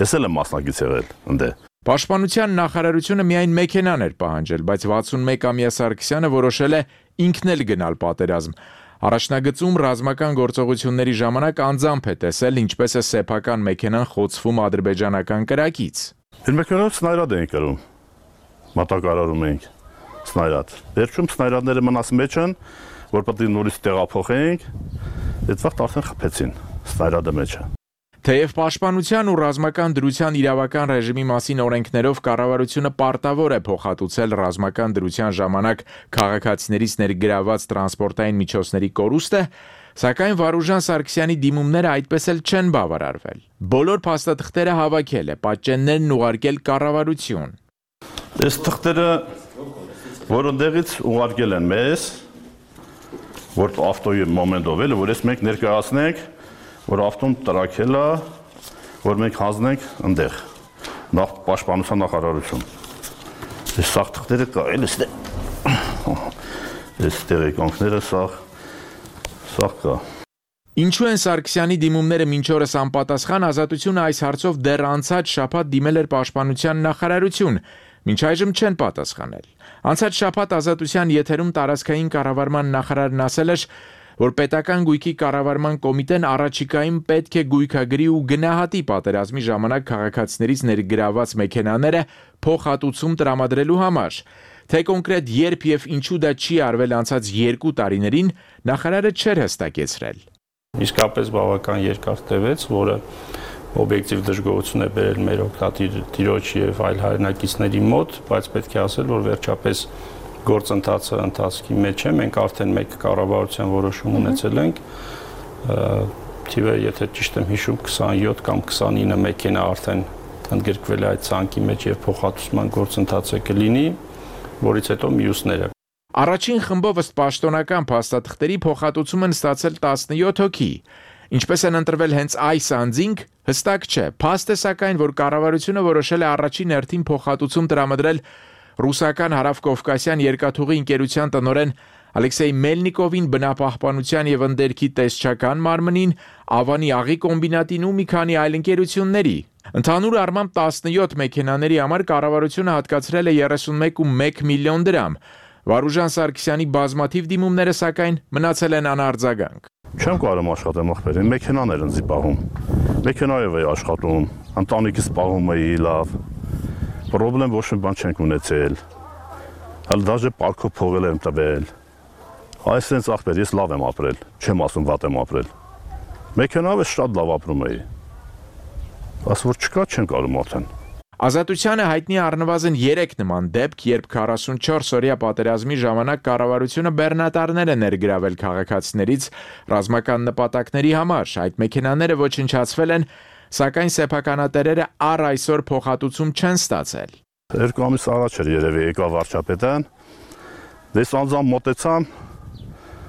Ես էլ եմ մասնակից եղել ընդ։ Պաշտպանության նախարարությունը միայն մեքենան էր պահանջել, բայց վաթսունմեկամյա Սարգսյանը որոշել է ինքն էլ գնալ պատերազմ։ Առաջնագծում ռազմական գործողությունների ժամանակ անձամբ է տեսել, ինչպես է սեփական մեքենան խոցվում ադրբեջանական կրակից։ Իր մեքենայով սնայրադ էինք կրում, մատակարարում էինք սնայրադ։ Վերջում սնայրադները մնաց մեջ են, որ պետք է նորից տեղափոխենք, այդ վաղտ արդեն խփեցին սնայրադը մեջը։ Թեև պաշտպանության ու ռազմական դրության իրավական ռեժիմի մասին օրենքներով կառավարությունը պարտավոր է փոխհատուցել ռազմական դրության ժամանակ քաղաքացիներից ներգրաված տրանսպորտային միջոցների կորուստը, սակայն Վարուժան Սարգսյանի դիմումները այդպես էլ չեն բավարարվել։ Բոլոր փաստաթղթերը հավաքել է, պատճեններն ուղարկել կառավարություն։ Այս թղթերը որոնտեղից ուղարկել են մեզ, որ ավտոյի մոմենտով էլ, որ ես մենք ներկայացնենք, որ ավտոն տրակել է, որ մենք հանձնենք ընդեղ, նախ պաշտպանության նախարարություն։ Այս սաղ թղթերը կա, էլ այս տեղեկանքները սաղ, սաղ կա։ Ինչու են Սարգսյանի դիմումները մինչ օրս անպատասխան, Ազատությունը այս հարցով դեռ անցած շաբաթ դիմել էր պաշտպանության նախարարություն, մինչ այժմ չեն պատասխանել։ Անցած շաբաթ Ազատության եթերում տարածքային կառավարման նախարարն ասել էր, որ պետական գույքի կառավարման կոմիտեն առաջիկայում պետք է գույքագրի ու գնահատի պատերազմի ժամանակ քաղաքացիներից ներգրաված մեքենաները փոխհատուցում տրամադրելու համար։ Թե կոնկրետ երբ եւ ինչու դա չի արվել անցած երկու տարիներին, նախարարը չէր հստակեցրել։ Իսկապես բավական երկար տևեց, որը օբյեկտիվ դժգոհություն է բերել մեր օգտատիր տիրոջ եւ այլ հայրենակիցների մոտ, բայց պետք է ասել, որ վերջապես գործընթացը ընթացքի մեջ է, մենք արդեն մեկ կառավարության որոշում ունեցել ենք, թիվը, եթե ճիշտ եմ հիշում, քսանյոթ կամ քսանինը մեքենա արդեն ընդգրկվել է այդ ցանկի մեջ եւ փոխհատուցման գործընթացը կլինի, որից հետո մյուսները։ Առաջին խմբով ըստ պաշտոնական փաստաթղթերի փոխհատուցում են ստացել տասնյոթ հոգի։ Ինչպես են ընտրվել հենց այս անձինք, հստակ չէ։ Փաստ է սակայն, որ կառավարությունը որոշել է առաջին հերթին փոխհատուցում տրամադրել ռուսական հարավկովկասյան երկաթուղի ընկերության տնօրեն Ալեքսեյ Մելնիկովին, բնապահպանության եւ ընդերքի տեսչական մարմնին, Ավանի աղի կոմբինատին ու մի քանի այլ ընկերությունների։ Ընդհանուր առմամբ տասնյոթ մեքենաների համար կառավարությունը հատկացրել է երեսունմեկ կόμμα մեկ միլիոն դրամ։ Վարուժան Սարգսյանի բազմաթիվ դիմումները սակայն մնացել են անարձագանք։ Չեմ կարում աշխատեմ ախպերին, մեքենաներ ընձի պահում։ Մեքենայով էի աշխատում, ընտանիքից պահում էի լավ։ Պրոբլեմ ոչ մի բան չենք ունեցել։ Հəl դաժե պարքով փողել եմ տվել։ Այսենց ախպեր, ես լավ եմ ապրել, չեմ ասում վատ եմ ապրել։ Մեքենայով շատ լավ ապրում էի։ Ասում որ չկա, չեն կարում արդեն։ Ազատությանը հայտնի առնվազն երեք նման դեպք, երբ քառասունչորս օրյա պատերազմի ժամանակ կառավարությունը բեռնատարներ է ներգրավել քաղաքացիներից ռազմական նպատակների համար։ Այդ մեքենաները ոչնչացվել են, սակայն սեփականատերերը առ այսօր փոխհատուցում չեն ստացել։ Երկու ամիս առաջ էր երևի եկավ վարչապետան, դες անձամբ մոտեցամ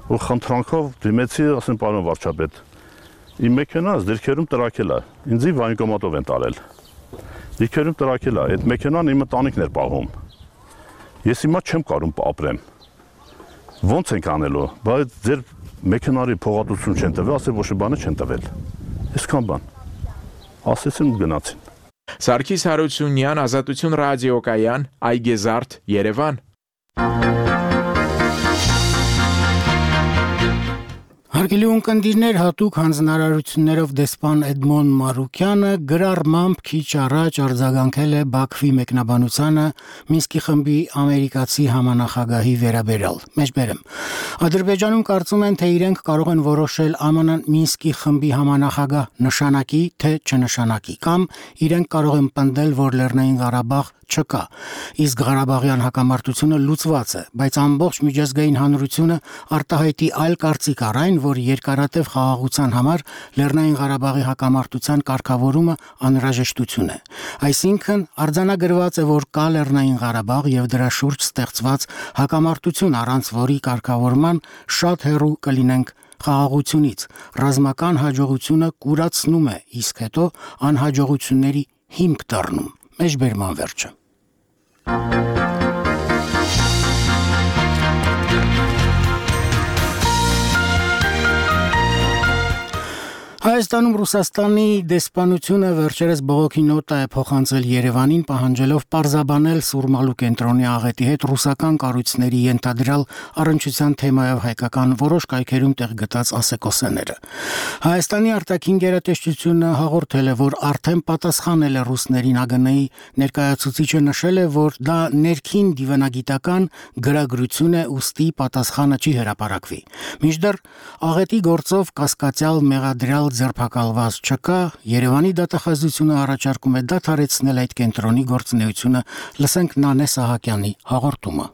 ու խնդրանքով դիմեցի, ասեմ պարոն վարչապետ, իմ մեքենաս դիրքերում տրակել է, ինձի վայնկոմատով են տարել։ Դիրքերում տրակել է, այդ մեքենան իմ ընտանիքն էր պահում։ Ես հիմա չեմ կարում ապրեմ։ Ոնց ենք անելու, բայց ձեր մեքենարի փոխհատուցում չեն տվել, ասել ոչ մի բան չեն տվել։ Այսքան բան։ Ասեցին ու գնացին։ Սարգիս Հարությունյան, Ազատություն ռադիոկայան, Այգեզարդ, Երևան։ Հարգելի ունկնդիրներ, հատուկ հանձնարարություններով դեսպան Էդմոն Մարուկյանը գրառմամբ քիչ առաջ արձագանքել է Բաքվի մեկնաբանությանը Մինսկի խմբի ամերիկացի համանախագահի վերաբերյալ։ Մեջբերեմ։ Ադրբեջանում կարծում են, թե իրենք կարող են որոշել ԱՄՆ Մինսկի խմբի համանախագահ նշանակի, թե չնշանակի, կամ իրենք կարող են պնդել, որ Լեռնային Ղարաբաղ չկա, իսկ Ղարաբաղյան հակամարտությունը լուծված է, բայց ամբողջ միջազգային հանրությունը արտահայտի այլ կարծիք առ այն, որ երկարատև խաղաղության համար Լեռնային Ղարաբաղի հակամարտության կարգավորումը անհրաժեշտություն է։ Այսինքն արձանագրված է, որ կա Լեռնային Ղարաբաղ եւ դրա շուրջ ստեղծված հակամարտություն, առանց որի կարգավորման շատ հեռու կլինենք խաղաղությունից։ Ռազմական հաջողությունը կուրացնում է, իսկ հետո անհաջողությունների հիմք դառնում։ Մեջբերման վերջը։ Հայաստանում Ռուսաստանի դեսպանությունը վերջերս բողոքի նոտա է փոխանցել Երևանին, պահանջելով պարզաբանել Սուրմալու կենտրոնի աղետի հետ ռուսական կառույցների ենթադրյալ առնչության թեմայով հայկական որոշ կայքերում տեղ գտած ասեկոսեները։ Հայաստանի արտաքին գերատեսչությունը հաղորդել է, որ արդեն պատասխանել է ռուսներին ԱԳՆ-ի ներկայացուցիչը նշել է, որ դա ներքին դիվանագիտական գրագրություն է, ուստի պատասխանը չի հրապարակվի։ Մինչդեռ աղետի գործով կասկածյալ մեղադրյալ ձերբակալված չկա, Երևանի դատախազությունը առաջարկում է դադարեցնել այդ կենտրոնի գործունեությունը, լսենք Նանե Սահակյանի հաղորդումը։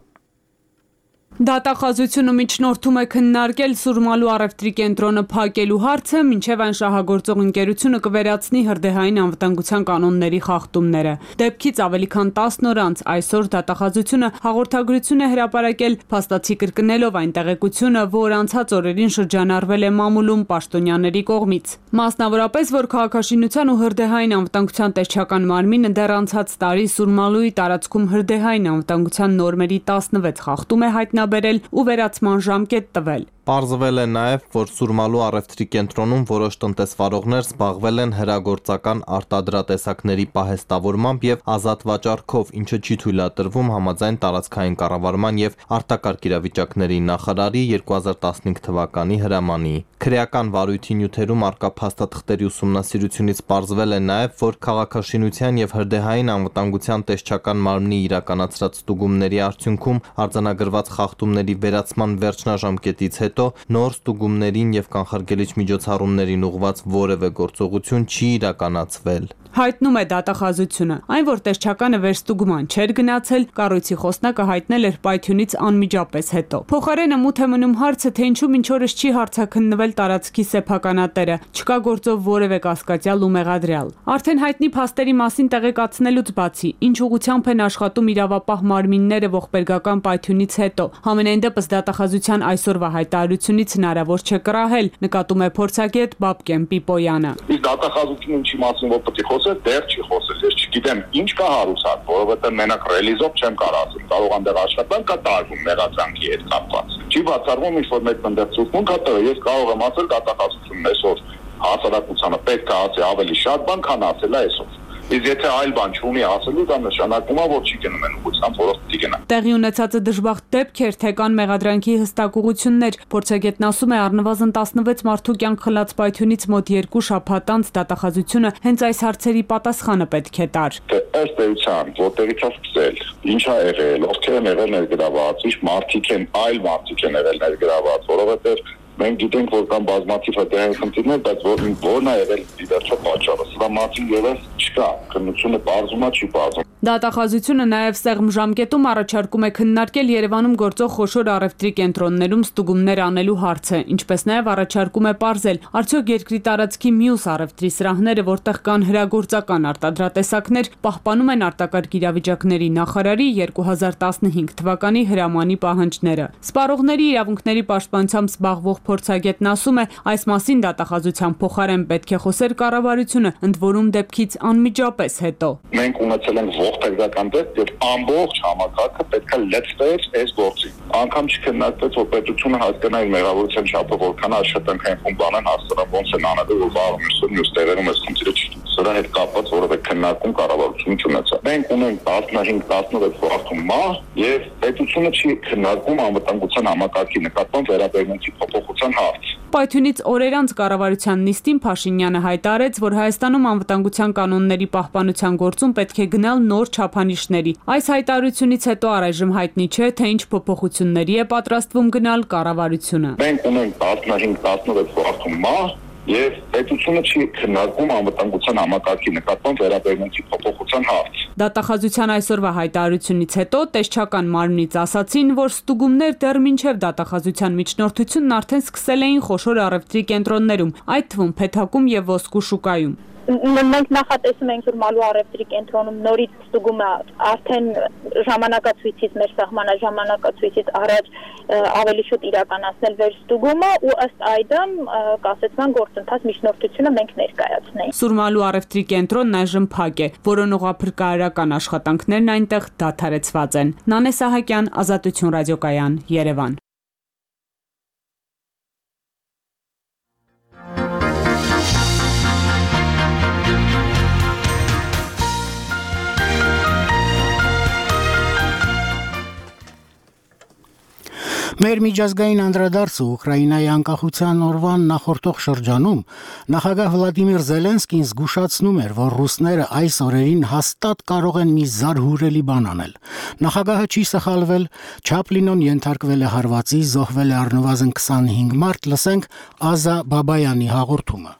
Դատախազությունը միջնորդում է քննարկել Սուրմալու առևտրի կենտրոնը փակելու հարցը, մինչև այն շահագործող ընկերությունը կվերացնի հրդեհային անվտանգության կանոնների խախտումները։ Դեպքից ավելի քան տասն օր անց այսօր դատախազությունը հաղորդագրություն է հրապարակել, փաստացի կրկնելով այն տեղեկությունը, որ անցած օրերին շրջանառվել է մամուլում պաշտոնյաների կողմից։ Մասնավորապես, որ քաղաքաշինության ու հրդեհային անվտանգության տեսչական մարմինը դեռ անցած տարի Սուրմալուի տարածքում հրդեհային անվտանգության նորմերի տասնվեց խախտում է հայտնաբերել բերել ու վերացման ժամկետ տվել։ Պարզվել է նաև, որ Սուրմալու առևտրի կենտրոնում որոշ տնտեսվարողներ զբաղվել են հրագործական արտադրատեսակների պահեստավորմամբ եւ ազատ վաճառքով, ինչը չի թույլատրվում համաձայն տարածքային կառավարման եւ արտակարգ իրավիճակների նախարարի երկու հազար տասնհինգ թվականի հրամանի։ Քրեական վարույթի նյութերում արկա փաստաթղթերի ուսումնասիրությունից պարզվել է նաև, որ քաղաքաշինության եւ հրդեհային անվտանգության տեսչական մարմնի իրականացրած ստուգումների արդյունքում արձանագրված խախտումների վերացման վերջնաժամկետից հետո նոր ստուգումներին եւ կանխարգելիչ միջոցառումներին ուղղված որևէ գործողություն չի իրականացվել։ Հայտնում է դատախազությունը։ Այն, որ տեսչականը վերստուգման չէր գնացել, կառույցի խոսնակը հայտնել էր պայթյունից անմիջապես հետո։ Փոխարենը մութ է մնում հարցը, թե ինչու մինչ օրս չի հարցաքննվել տարածքի սեփականատերը, չկա գործով որևէ կասկածյալ ու մեղադրյալ։ Արդեն հայտնի փաստերի մասին տեղեկացնելուց բացի, ինչ ուղղությամբ են աշխատում իրավապահ մարմինները ողբերգական պայթյունից հետո, համենայն դեպս դատախազության այսօրվա հայտարարությունից հնարավոր չէ կռահել, նկատում է փորձագետ Բաբկեն Պիպոյանը։ Իսկ դատախազությունը ինչի մասին որ պետք է խոսել, դեռ չի խոսել։ Ես չգիտեմ ինչ կա հարուցած, որովհետև մենակ ռելիզով չեմ կարող ասել։ Կարող անդեղ աշխատանք կա տարվում մեղադրանքի հետ կապված։ Չի բացառվում ինչ որ մեկ ընդդեմ ցուցմունք կա, ես կարող եմ ասել դատախազությունն այսօր հասարակությանը պետք է ասի ավելի շատ բան, քան ասել է այսօր։ Իսկ եթե այլ բան չունի ասելու, դա նշանակում է, որ չի գնում են ուղղությամբ, որով պիտի գնա։ Տեղի ունեցածը դժբախտ դեպք էր, թե կան մեղադրանքի հստակ ուղղություններ։ Փորձագետն ասում է, առնվազն տասնվեց մարդու կյանք խլած պայթյունից մոտ երկու շաբաթ անց դատախազությունը հենց այս հարցերի պատասխանը պետք է տար։ Ըստ էության, որտեղից է սկսել, ինչ ա եղել, ովքեր են եղել ներգրաված, ինչ մարդիկ են, այլ մարդիկ են եղել ներգրաված, որովհետև մենք գիտենք, որ կան բազմաթիվ հետեւային խնդիրներ, բայց որն է եղել դիվերսիա պատճառը։ Սա մասին ևս չկա, քննությունը բարձում է, չի բարձում։ Դատախազությունը նաև սեղմ ժամկետում առաջարկում է քննարկել Երևանում գործող խոշոր առևտրի կենտրոններում ստուգումներ անելու հարցը, ինչպես նաև առաջարկում է պարզել, արդյոք երկրի տարածքի մյուս առևտրի սրահները, որտեղ կան հրագործական արտադրատեսակներ, պահպանում են արտակարգ իրավիճակների նախարարի երկու հազար տասնհինգ թվականի հրամանի պահանջները։ Սպառողների իրավունքների պաշտպանությամբ զբաղվող փորձագետն ասում է, այս մասին դատախազության փոխարեն պետք է խոսեր կառավարությունը, ընդ որում դեպքից անմիջապես հետո։ Մենք ունեցել ենք ողբերգական դեպք, եւ ամբողջ համակարգը պետք է լծվեր այս գործին։ Անգամ չքննարկվեց, որ պետությունը հասկանա իր մեղավորության չափը որքան աշխատանքային խումբ անեն հասարակ ոնց են անելու, որ վաղը մյուս տեղերում այս խնդիրը չի։ Սրա հետ կապված որևէ քննարկում կառավարությունը չունեցավ։ Մենք ունենք տասնհինգ տասնվեց վարդում մահ եւ պետությունը չի քննարկում անվտանգության համակարգի նկատմամբ վերաբերմունքի փոփոխության հարց։ Պայթյունից օրեր անց կառավարության նիստին Փաշինյանը հայտարարեց, որ Հայաստանում անվտանգության կանոնների պահպանության գործում պետք է գնալ նոր չափանիշների։ Այս հայտարարությունից հետո առայժմ հայտնի չէ, թե ինչ փոփոխությունների է պատրաստվում գնալ կառավարությունը։ Մենք ունենք տասնհինգ տասնվեց վարդում մահ եւ պետությունը չի քննարկում անվտանգության համակարգի նկատմամբ վերաբերմունքի փոփոխության հարց։ Դատախազության այսօրվա հայտարարությունից հետո տեսչական մարմնից ասացին, որ ստուգումներ դեռ մինչև դատախազության միջնորդությունն արդեն սկսել էին խոշոր առևտրի կենտրոններում, այդ թվում Փեթակում եւ Ոսկու շուկայում։ Մենք նախատեսում ենք Սուրմալու առևտրի կենտրոնում նորից ստուգումը արդեն ժամանակացույցից մեր սահմանա ժամանակացույցից առաջ ավելի շուտ իրականացնել վերստուգումը ու ըստ այդմ կասեցման գործընթաց միջնորդությունը մենք ներկայացնենք։ Սուրմալու առևտրի կենտրոնն այժմ փակ է, որոնողափրկարարական աշխատանքներն այնտեղ դադարեցված են։ Նանե Սահակյան, Ազատություն ռադիոկայան, Երևան։ Մեր միջազգային անդրադարձը Ուկրաինայի անկախության օրվան նախորդող շրջանում նախագահ Վլադիմիր Զելենսկին զգուշացնում էր, որ ռուսները այս օրերին հաստատ կարող են մի զարհուրելի բան անել։ Նախագահը չի սխալվել, Չապլինոն ենթարկվել է հարվածի, զոհվել է առնվազն քսանհինգ մարդ, լսենք Ազա Բաբայանի հաղորդումը։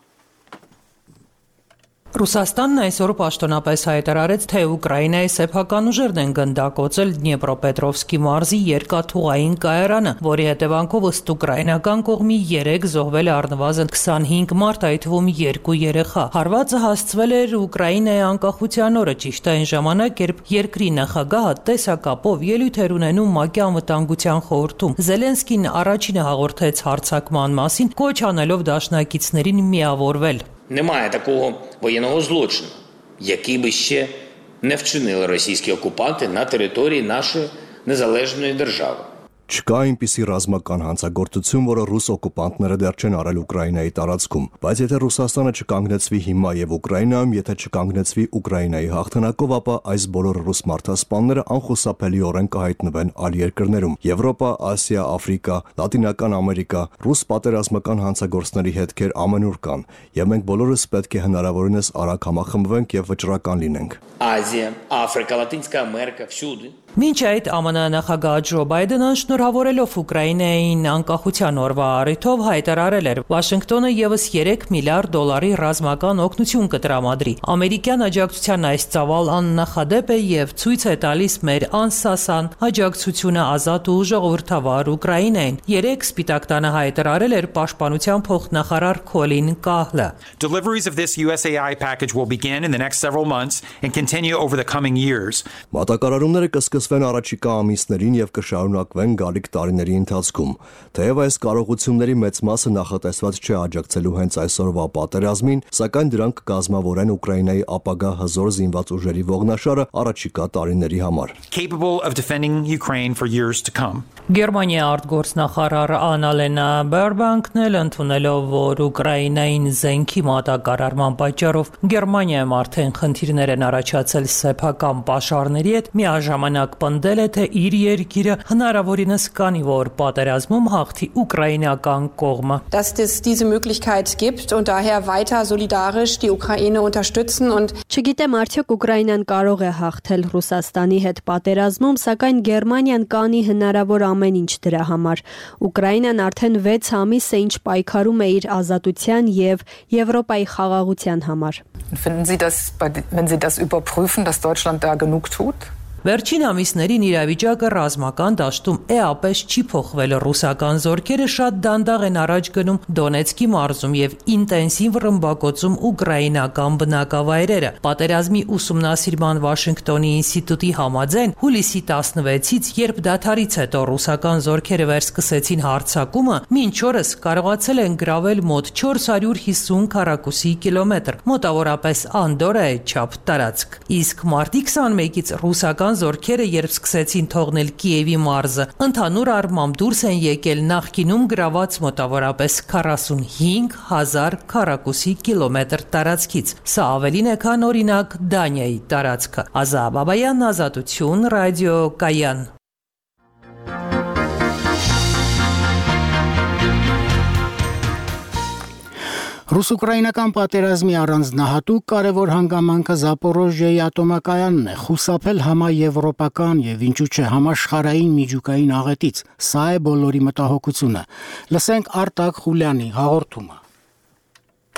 Ռուսաստանն այսօր պաշտոնապես հայտարարեց, թե Ուկրաինայի սեփական ուժերն են գնդակոծել Դնեպրոպետրովսկի մարզի երկաթուղային կայարանը, որի հետևանքով ըստ ուկրաինական կողմի երեք զոհվել է առնվազն քսանհինգ մարդ, այդ թվում երկու երեխա։ Հարվածը հասցվել էր Ուկրաինայի անկախության օրը, ճիշտ այն ժամանակ, երբ երկրի նախագահը տեսակապով ելույթ էր ունենում ՄԱԿ-ի անվտանգության խորհրդում։ Զելենսկին առաջինը հաղորդեց հարձակման մասին, կոչ անելով դաշնակիցներին միավորվել։ Немає такого воєнного злочину, який би ще не вчинили російські окупанти на території нашої незалежної держави. Չկա այնպիսի ռազմական հանցագործություն, որը ռուս օկուպանտները դեռ չեն արել Ուկրաինայի տարածքում, բայց եթե Ռուսաստանը չկանգնեցվի հիմա եւ Ուկրաինայում, եթե չկանգնեցվի Ուկրաինայի հաղթանակով, ապա այս բոլոր ռուս մարդասպանները անխուսափելիորեն կհայտնվեն այլ երկրներում՝ Եվրոպա, Ասիա, Աֆրիկա, Լատինական Ամերիկա, ռուս պատերազմական հանցագործների հետքեր ամենուր կան, եւ մենք բոլորս պետք է հնարավորինս արագ համախմբվենք եւ վճռական լինենք։ Азія, Африка, Латинська Америка, всюди. Մինչ այդ ԱՄՆ նախագահ Ջո Բայդենը շնորհավորելով Ուկրաինային անկախության օրվա առիթով հայտարարել էր, Վաշինգտոնը եւս երեք միլիարդ դոլարի ռազմական օգնություն կտրամադրի։ Ամերիկյան աջակցության այս ծավալ աննախադեպ է եւ ցույց է տալիս մեր անսասան աջակցությունը ազատ ու ժողովրդավար Ուկրաինային։ Երեք Սպիտակ տանը հայտարարել էր պաշտպանության փոխնախարար Քոլին Կահլը։ Deliveries of this U S A I package will begin in the next several months and continue over the coming years. Մատակարարումները կսկսվեն առաջիկա ամիսներին եւ կշարունակվեն գալիք գալիք տարիների ընթացքում։ Թեև այս կարողությունների մեծ մասը նախատեսված չէ աջակցելու հենց այսօրվա պատերազմին, սակայն դրանք կկազմավորեն Ուկրաինայի ապագա հզոր զինված ուժերի ողնաշարը առաջիկա տարիների համար։ Capable of defending Ukraine for years to come. Գերմանիա արտգործնախարար Անալենա Բերբանկն էլ ընդունելով, որ Ուկրաինային զենքի մատակարարման պատճառով Գերմանիայում արդեն խնդիրներ են առաջացել սեփական պաշարների հետ, միաժամանակ պնդել է, թե իր երկիրը հնարավորինս կանի, որ պատերազմում հաղթի ուկրաինական կողմը։ Dass es diese Möglichkeit gibt und daher weiter solidarisch die Ukraine unterstützen und Չգիտեմ արդյոք Ուկրաինան կարող է հաղթել Ռուսաստանի հետ պատերազմում, սակայն Գերմանիան կանի հնարավոր ամեն ինչ դրա համար։ Ուկրաինան արդեն վեց ամիս է ինչ պայքարում է իր ազատության եւ Եվրոպայի խաղաղության համար։ Finden Sie das, wenn Sie das überprüfen, dass Deutschland da genug tut? Վերջին ամիսներին իրավիճակը ռազմական դաշտում էապես չի փոխվել։ Ռուսական զորքերը շատ դանդաղ են առաջ գնում Դոնեցկի մարզում եւ ինտենսիվ ռմբակոծում ուկրաինական բնակավայրերը։ Պատերազմի ուսումնասիրման Վաշինգտոնի ինստիտուտի համաձայն հուլիսի տասնվեցից, երբ դադարից հետո ռուսական զորքերը վերսկսեցին հարձակումը, մինչ օրս կարողացել են գրավել մոտ չորս հարյուր հիսուն քառակուսի կիլոմետր, մոտավորապես Անդորայի չափ տարածք։ Իսկ մարտի քսանմեկից ռուսական զորքերը երբ սկսեցին թողնել Կիևի մարզը, ընդհանուր առմամբ դուրս են եկել նախկինում գրաված մոտավորապես քառասունհինգ հազար քառակուսի կիլոմետր տարածքից։ Սա ավելին է, քան օրինակ Դանիայի տարածքը։ Ազա Բաբայան, Ազատություն, ռադիո Կայան։ Ռուս-ուկրաինական պատերազմի առանձնահատուկ կարևոր հանգամանքը Զապորոժիայի ատոմակայանն է, խուսափել համաեվրոպական եւ ինչու՞ չէ համաշխարհային միջուկային աղետից։ Սա է բոլորի մտահոգությունը։ Լսենք Արտակ Խուլյանի հաղորդումը։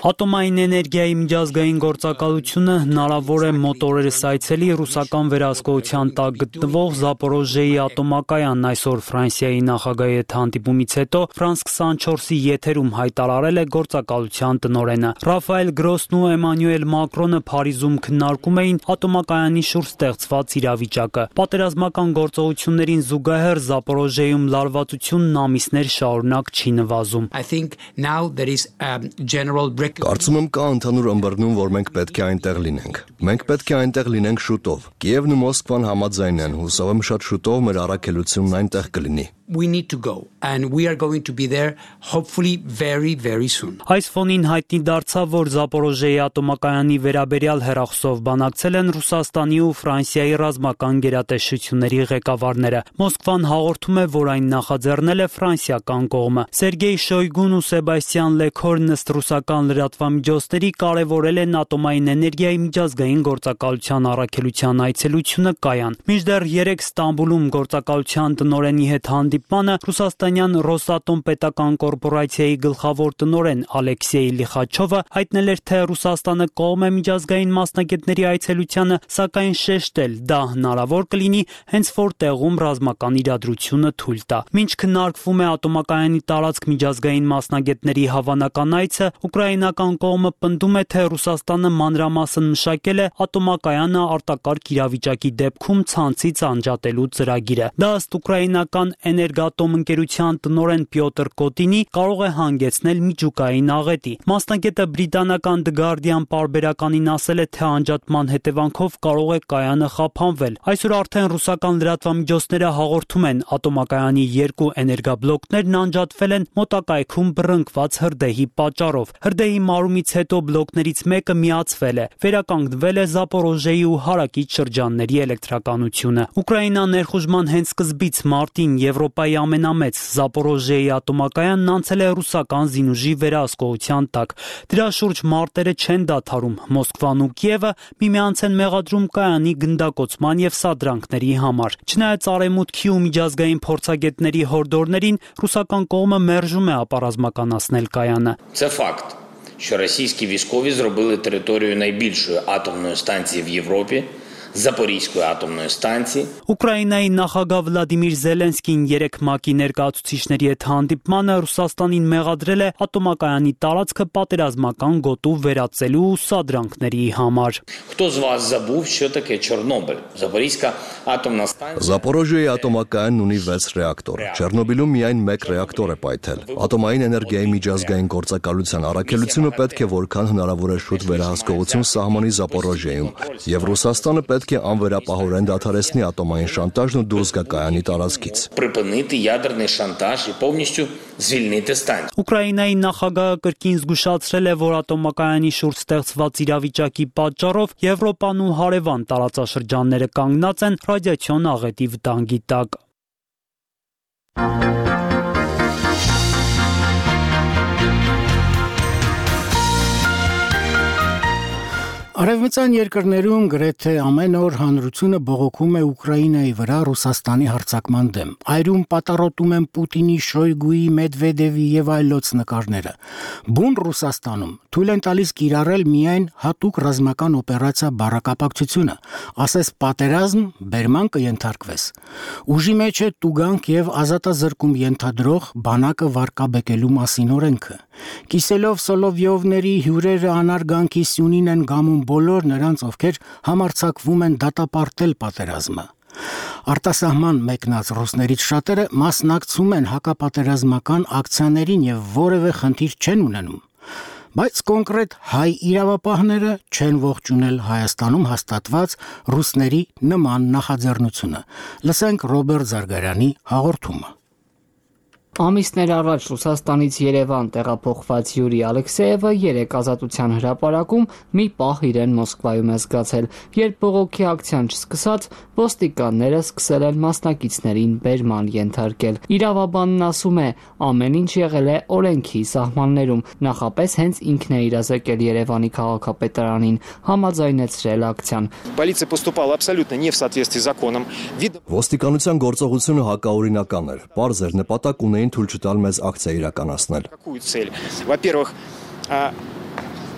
Ատոմային էներգիայի միջազգային գործակալությունը հնարավոր է մոտորերս այցելի ռուսական վերահսկողության տակ գտնվող Զապորոժիայի ատոմակայանն այսօր Ֆրանսիայի նախագահի հետ հանդիպումից հետո Ֆրանս քսանչորսի եթերում հայտարարել է գործակալության տնօրենը։ Ռաֆայել Գրոսն ու Էմանուել Մակրոնը Փարիզում քննարկում էին ատոմակայանի շուրջ ստեղծված իրավիճակը։ Պատերազմական գործողություններին զուգահեռ Զապորոժիայում լարվածությունն ամիսներ շարունակ չի նվազում։ I think now there is a general Կարծում եմ կա ընդհանուր ըմբռնում, որ մենք պետք է այնտեղ լինենք։ Մենք պետք է այնտեղ լինենք շուտով։ Կիևն ու Մոսկվան համաձայն են, հուսով եմ շատ շուտով մեր առաքելությունն այնտեղ կլինի։ We need to go and we are going to be there hopefully very very soon. Այս ֆոնին հայտնի դարձավ, որ Զապորոժիայի ատոմակայանի վերաբերյալ հեռախոսով բանակցել են Ռուսաստանի ու Ֆրանսիայի ռազմական գերատեսչությունների ղեկավարները։ Մոսկվան հաղորդում է, որ այն նախաձեռնել է ֆրանսիական կողմը։ Սերգեյ Շոյգուն ու Սեբաստիան Լեքորն ըստ ռուսական լրատվամիջոցների կարևորել են ատոմային էներգիայի միջազգային գործակալության առաքելության այցելությունը Կայան։ Մինչդեռ երեք Ստամբուլում գործակալության տնօրենի հետ հանդիպմանը ռուսաստանյան Ռոսատոմ պետական կորպորացիայի գլխավոր տնօրեն Ալեքսեյ Լիխաչովը հայտնել էր, թե Ռուսաստանը կողմ է միջազգային մասնագետների այցելությանը, սակայն շեշտել դա հնարավոր կլինի հենց որ տեղում ռազմական իրադրությունը թույլ տա։ Մինչ քննարկվում է ատոմակայանի տարածք միջազգային մասնագետների հավանական այցը, ուկրաինական կողմը պնդում է, թե Ռուսաստանը մանրամասն մշակել է ատոմակայանը արտակարգ իրավիճակի դեպքում ցանցից անջատելու ծրագիրը։ Դա ըստ ուկրաինական Էներգատոմ ընկերության տնօրեն Պյոտր Կոտինի կարող է հանգեցնել միջուկային աղետի։ Մասնագետը բրիտանական The Guardian պարբերականին ասել է, թե անջատման հետևանքով կարող է կայանը խափանվել։ Այսօր արդեն ռուսական լրատվամիջոցները հաղորդում են, ատոմակայանի երկու էներգաբլոկներն անջատվել են մոտակայքում բռնկված հրդեհի պատճառով։ Հրդեհի մարումից հետո բլոկներից մեկը միացվել է։ Վերականգնվել է Զապորոժիայի ու հարակից շրջանների էլեկտրականությունը։ Ուկրաինան ներխուժման հենց սկզբից մարտին Եվրոպայի ամենամեծ Զապորոժիայի ատոմակայանն անցել է ռուսական զինուժի վերահսկողության տակ։ Դրա շուրջ մարտերը չեն դադարում։ Մոսկվան ու Կիևը միմյանց են մեղադրում կայանի գնդակոծման եւ սադրանքների համար։ Չնայած արևմուտքի ու միջազգային փորձագետների հորդորներին, ռուսական կողմը մերժում է ապառազմականացնել կայանը։ Це факт, що російські військові зробили територію найбільшої атомної станції в Європі Запорізької атомної станції. Ուկրաինայի նախագահ Վլադիմիր Զելենսկին երեք ՄԱԿ-ի ներկայացուցիչների հետ հանդիպմանը Ռուսաստանին մեղադրել է ատոմակայանի տարածքը պատերազմական գոտու վերածելու սադրանքների համար։ Хто з вас забув, що таке Чорнобиль? Запорізька атомна станція. Զապորոժիայի ատոմակայանն ունի վեց ռեակտոր։ Չեռնոբիլում միայն մեկ ռեակտոր է պայթել։ Ատոմային էներգիայի միջազգային գործակալության առաքելությունը պետք է որքան հնարավոր է շուտ վերահսկողություն սահմանի Զապորոժիայում, եւ Ռուսաստանը պետք է անվերապահորեն դադարեցնի ատոմային շանտաժն ու դուրս գա կայանի տարածքից։ Припинити ядерний шантаж і повністю звільнити станцію. Ուկրաինայի նախագահը կրկին զգուշացրել է, որ ատոմակայանի շուրջ ստեղծված իրավիճակի պատճառով Եվրոպան ու հարևան տարածաշրջանները կանգնած են ռադիացիոն աղետի վտանգի տակ։ Արևմտյան երկրներում գրեթե ամեն օր հանրությունը բողոքում է Ուկրաինայի վրա Ռուսաստանի հարձակման դեմ։ Այրում պատառոտում են Պուտինի, Շոյգուի, Մեդվեդևի եւ այլոց նկարները։ Բուն Ռուսաստանում թույլ են տալիս կիրառել միայն հատուկ ռազմական օպերացիա բառակապակցությունը, ասես պատերազմ բերման կընթարկվես։ Ուժի մեջ է տուգանք եւ ազատազրկում ենթադրող բանակը վարկաբեկելու մասին օրենքը։ Կիսելով Սոլովյովների հյուրերը անարգանքի սյունին են գամում բոլոր նրանց, ովքեր համարձակվում են դատապարտել պատերազմը։ Արտասահման մեկնած ռուսներից շատերը մասնակցում են հակապատերազմական ակցիաներին եւ որևէ խնդիր չեն ունենում։ Բայց կոնկրետ հայ իրավապահները չեն ողջունել Հայաստանում հաստատված ռուսների նման նախաձեռնությունը։ Լսենք Ռոբերտ Զարգարյանի հաղորդումը։ Ամիսներ առաջ Ռուսաստանից Երևան տեղափոխված Յուրի Ալեքսեևը երեք ազատության հրապարակում մի պահ իրեն Մոսկվայում է զգացել, երբ բողոքի ակցիան չսկսած ոստիկանները սկսել են մասնակիցներին բերման ենթարկել։ Իրավաբանն ասում է, ամեն ինչ եղել է օրենքի սահմաններում, նախապես հենց ինքն է իրազեկել Երևանի քաղաքապետարանին, համաձայնեցրել ակցիան։ Полиция поступала абсолютно не в соответствии с законом. Ոստիկանության գործողությունը հակաօրինական էր։ Պարզ էր նպատակ ունեին թույլ չտալ մեզ ակցիա իրականացնել։ Какую цель? Во-первых,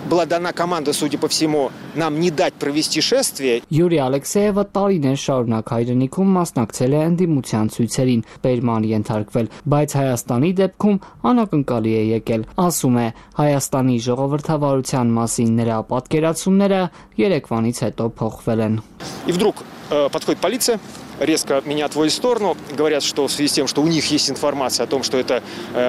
была дана команда, судя по всему, нам не дать провести шествие. Յուրի Ալեքսեևը տարիներ շարունակ հայրենիքում մասնակցել է ընդդիմության ցույցերին, բերման ենթարկվել, բայց Հայաստանի դեպքում անակնկալի է եկել։ Ասում է, Հայաստանի ժողովրդավարության մասին նրա պատկերացումները Երևանից հետո փոխվել են։ И вдруг подходит полиция, резко меня отводят в сторону, говорят, что в связи с тем, что у них есть информация о том, что это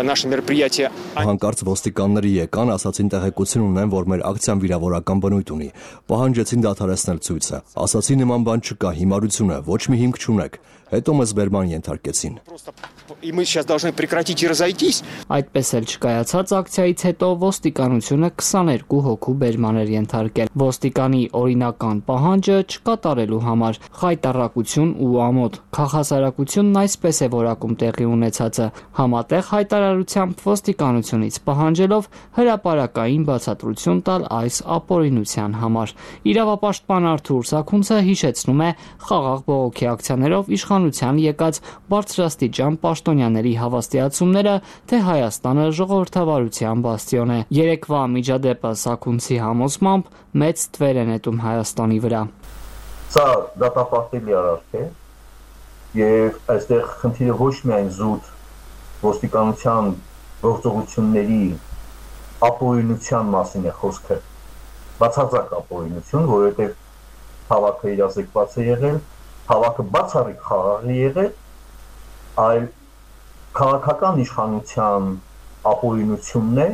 наше мероприятие. Հանկարծ ոստիկանները եկան, ասացին տեղեկություն ունեն, որ մեր ակցիան վիրավորական բնույթ ունի։ Պահանջեցին դադարեցնել ցույցը։ Ասացին նման բան չկա, հիմարություն է, ոչ մի հիմք չունեք։ Հետո մեզ բերման ենթարկեցին։ И мы сейчас должны прекратить и разойтись. Այդպես էլ չկայացած ակցիայից հետո ոստիկանությունը քսաներկու հոգու բերման էր ենթարկել։ Ոստիկանի օրինական պահանջը չկատարելու համար խայտառակություն ու ամոթ։ Քաղաքասարակությունն այսպես է որակում տեղի ունեցածը։ Համատեղ հայտարարությամբ ոստիկանությունից պահանջելով հրապարակային բացատրություն տալ այս ապօրինության համար։ Իրավապաշտպան Արթուր Սաքունցը հիշեցնում է խաղաղ բողոքի ակցիաներով իշխանության եկած բարձրաստիճան պաշտոնյաների հավաստիացումները, թե Հայաստանը ժողովրդավարության բաստիոն է։ Երեկվա միջադեպը Սաքունցի համոզմամբ մեծ թվեր է նետում Հայաստանի վրա։ Սա դատապարտելի արարք է եւ այստեղ խնդիրը ոչ միայն զուտ ոստիկանության գործողությունների ապօրինության մասին է խոսքը, բացարձակ ապօրինություն, որովհետեւ հավաքը իրազեկված է եղել, հավաքը բացառիկ խաղաղ է եղել, այլ քաղաքական իշխանության ապօրինությունն է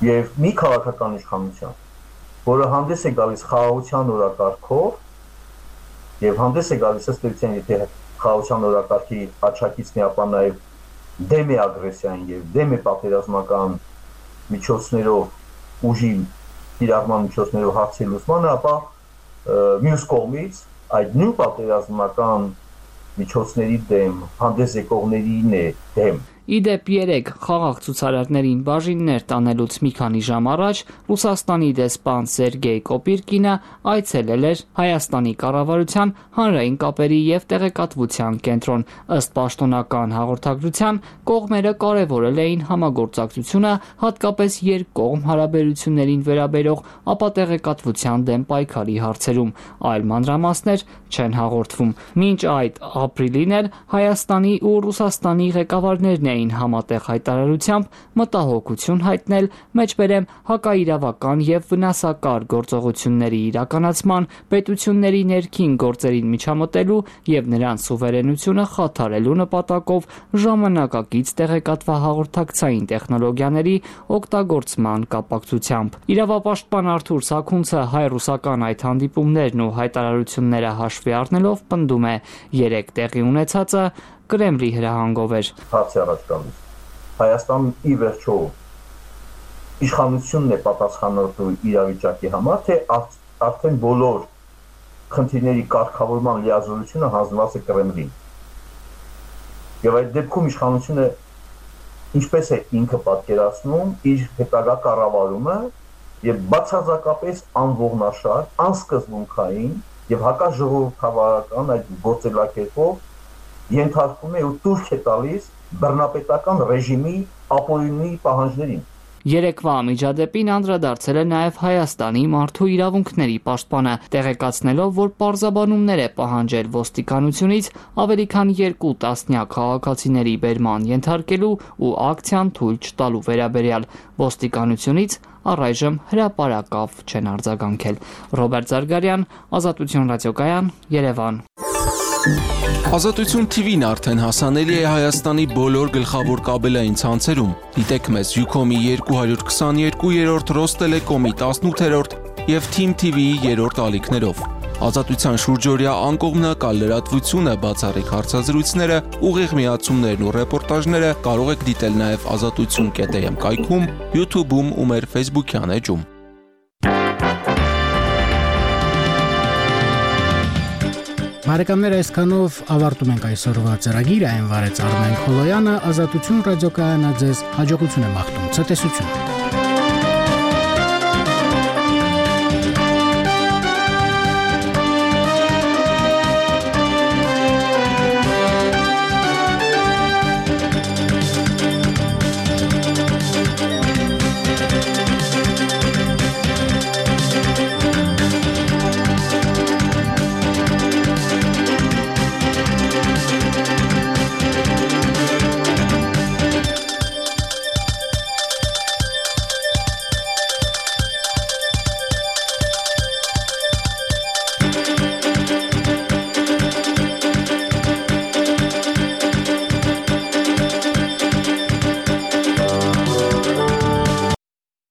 եւ մի քաղաքական իշխանության, որը հանդես է գալիս խաղաղության օրակարգով եւ հանդես է գալիս ըստ էության, եթե խաղաղության օրակարգի աչակիցն է, ապա նաեւ դեմ է ագրեսիային եւ դեմ է պատերազմական միջոցներով ուժի իրավման միջոցներով հարցի լուծմանը, ապա մյուս կողմից այդ նույն պատերազմական միջոցների դեմ հանդես եկողներին է դեմ։ Իդեպ երեք խաղաղ ցուցարարներին բաժիններ տանելուց մի քանի ժամ առաջ Ռուսաստանի դեսպան Սերգեյ Կոպիրկինը այցելել էր Հայաստանի կառավարության հանրային կապերի եւ տեղեկատվության կենտրոն։ Ըստ պաշտոնական հաղորդագրության կողմերը կարևորել էին համագործակցությունը հատկապես երկկողմ հարաբերություններին վերաբերող ապատեղեկատվության դեմ պայքարի հարցերում, այլ մանրամասներ չեն հաղորդվում։ Մինչ այդ ապրիլին էլ Հայաստանի ու Ռուսաստանի ղեկավարներն էին համատեղ հայտարարությամբ մտահոգություն հայտնել մեջբերեմ հակաիրավական եւ վնասակար գործողությունների իրականացման, պետությունների ներքին գործերին միջամտելու եւ նրանց սուվերենությունը խաթարելու նպատակով ժամանակակից տեղեկատվահաղորդակցային տեխնոլոգիաների օգտագործման կապակցությամբ։ Իրավապաշտպան Արթուր Սաքունցը հայ-ռուսական այդ հանդիպումներն ու հայտարարությունները հաշվի առնելով պնդում է երեք տեղի ունեցածը Կրեմլի հրահանգով էր։ Հարցի առաջ գալիս Հայաստանը ի վերջո իշխանությունն է պատասխանատու իրավիճակի համար, թե արդեն բոլոր խնդիրների կարգավորման լիազորությունը հանձնված է Կրեմլին։ Եվ այդ դեպքում իշխանությունը ինչպես է ինքը պատկերացնում իր հետագա կառավարումը եւ բացարձակապես անողնաշար, անսկզբունքային եւ հակաժողովրդավարական այդ գործելակերպով ենթարկում է ու տուրք է տալիս բռնապետական ռեժիմի ապօրինի պահանջներին։ Երեկվա միջադեպին անդրադարձել է նաև Հայաստանի մարդու իրավունքների պաշտպանը, տեղեկացնելով, որ պարզաբանումներ է պահանջել ոստիկանությունից ավելի քան երկու տասնյակ քաղաքացիների բերման ենթարկելու ու ակցիան թույլ չտալու վերաբերյալ։ Ոստիկանությունից առայժմ հրապարակավ չեն արձագանքել։ Ռոբերտ Զարգարյան, Ազատություն ռադիոկայան, Երևան։ Ազատություն թի վին արդեն հասանելի է Հայաստանի բոլոր գլխավոր կաբելային ցանցերում։ Դիտեք մեզ Յուքոմի երկու հարյուր քսաներկու, Ռոստելեկոմի տասնութերորդ եւ Թիմ թի վիի երրորդ ալիքներով։ Ազատության շուրջօրյա անկողմնակալ լրատվությունը, բացառիկ հարցազրույցները, ուղիղ միացումներն ու ռեպորտաժները կարող եք դիտել նաև ազատություն կետ էմ կայքում, YouTube-ում ու մեր Facebook-յան էջում։ Բարեկամներ, այսքանով ավարտում ենք այսօրվա ծրագիրը, այն վարեց Արմեն Խոլոյանը, Ազատություն ռադիոկայանը ձեզ հաջողություն է մաղթում, ցտեսություն։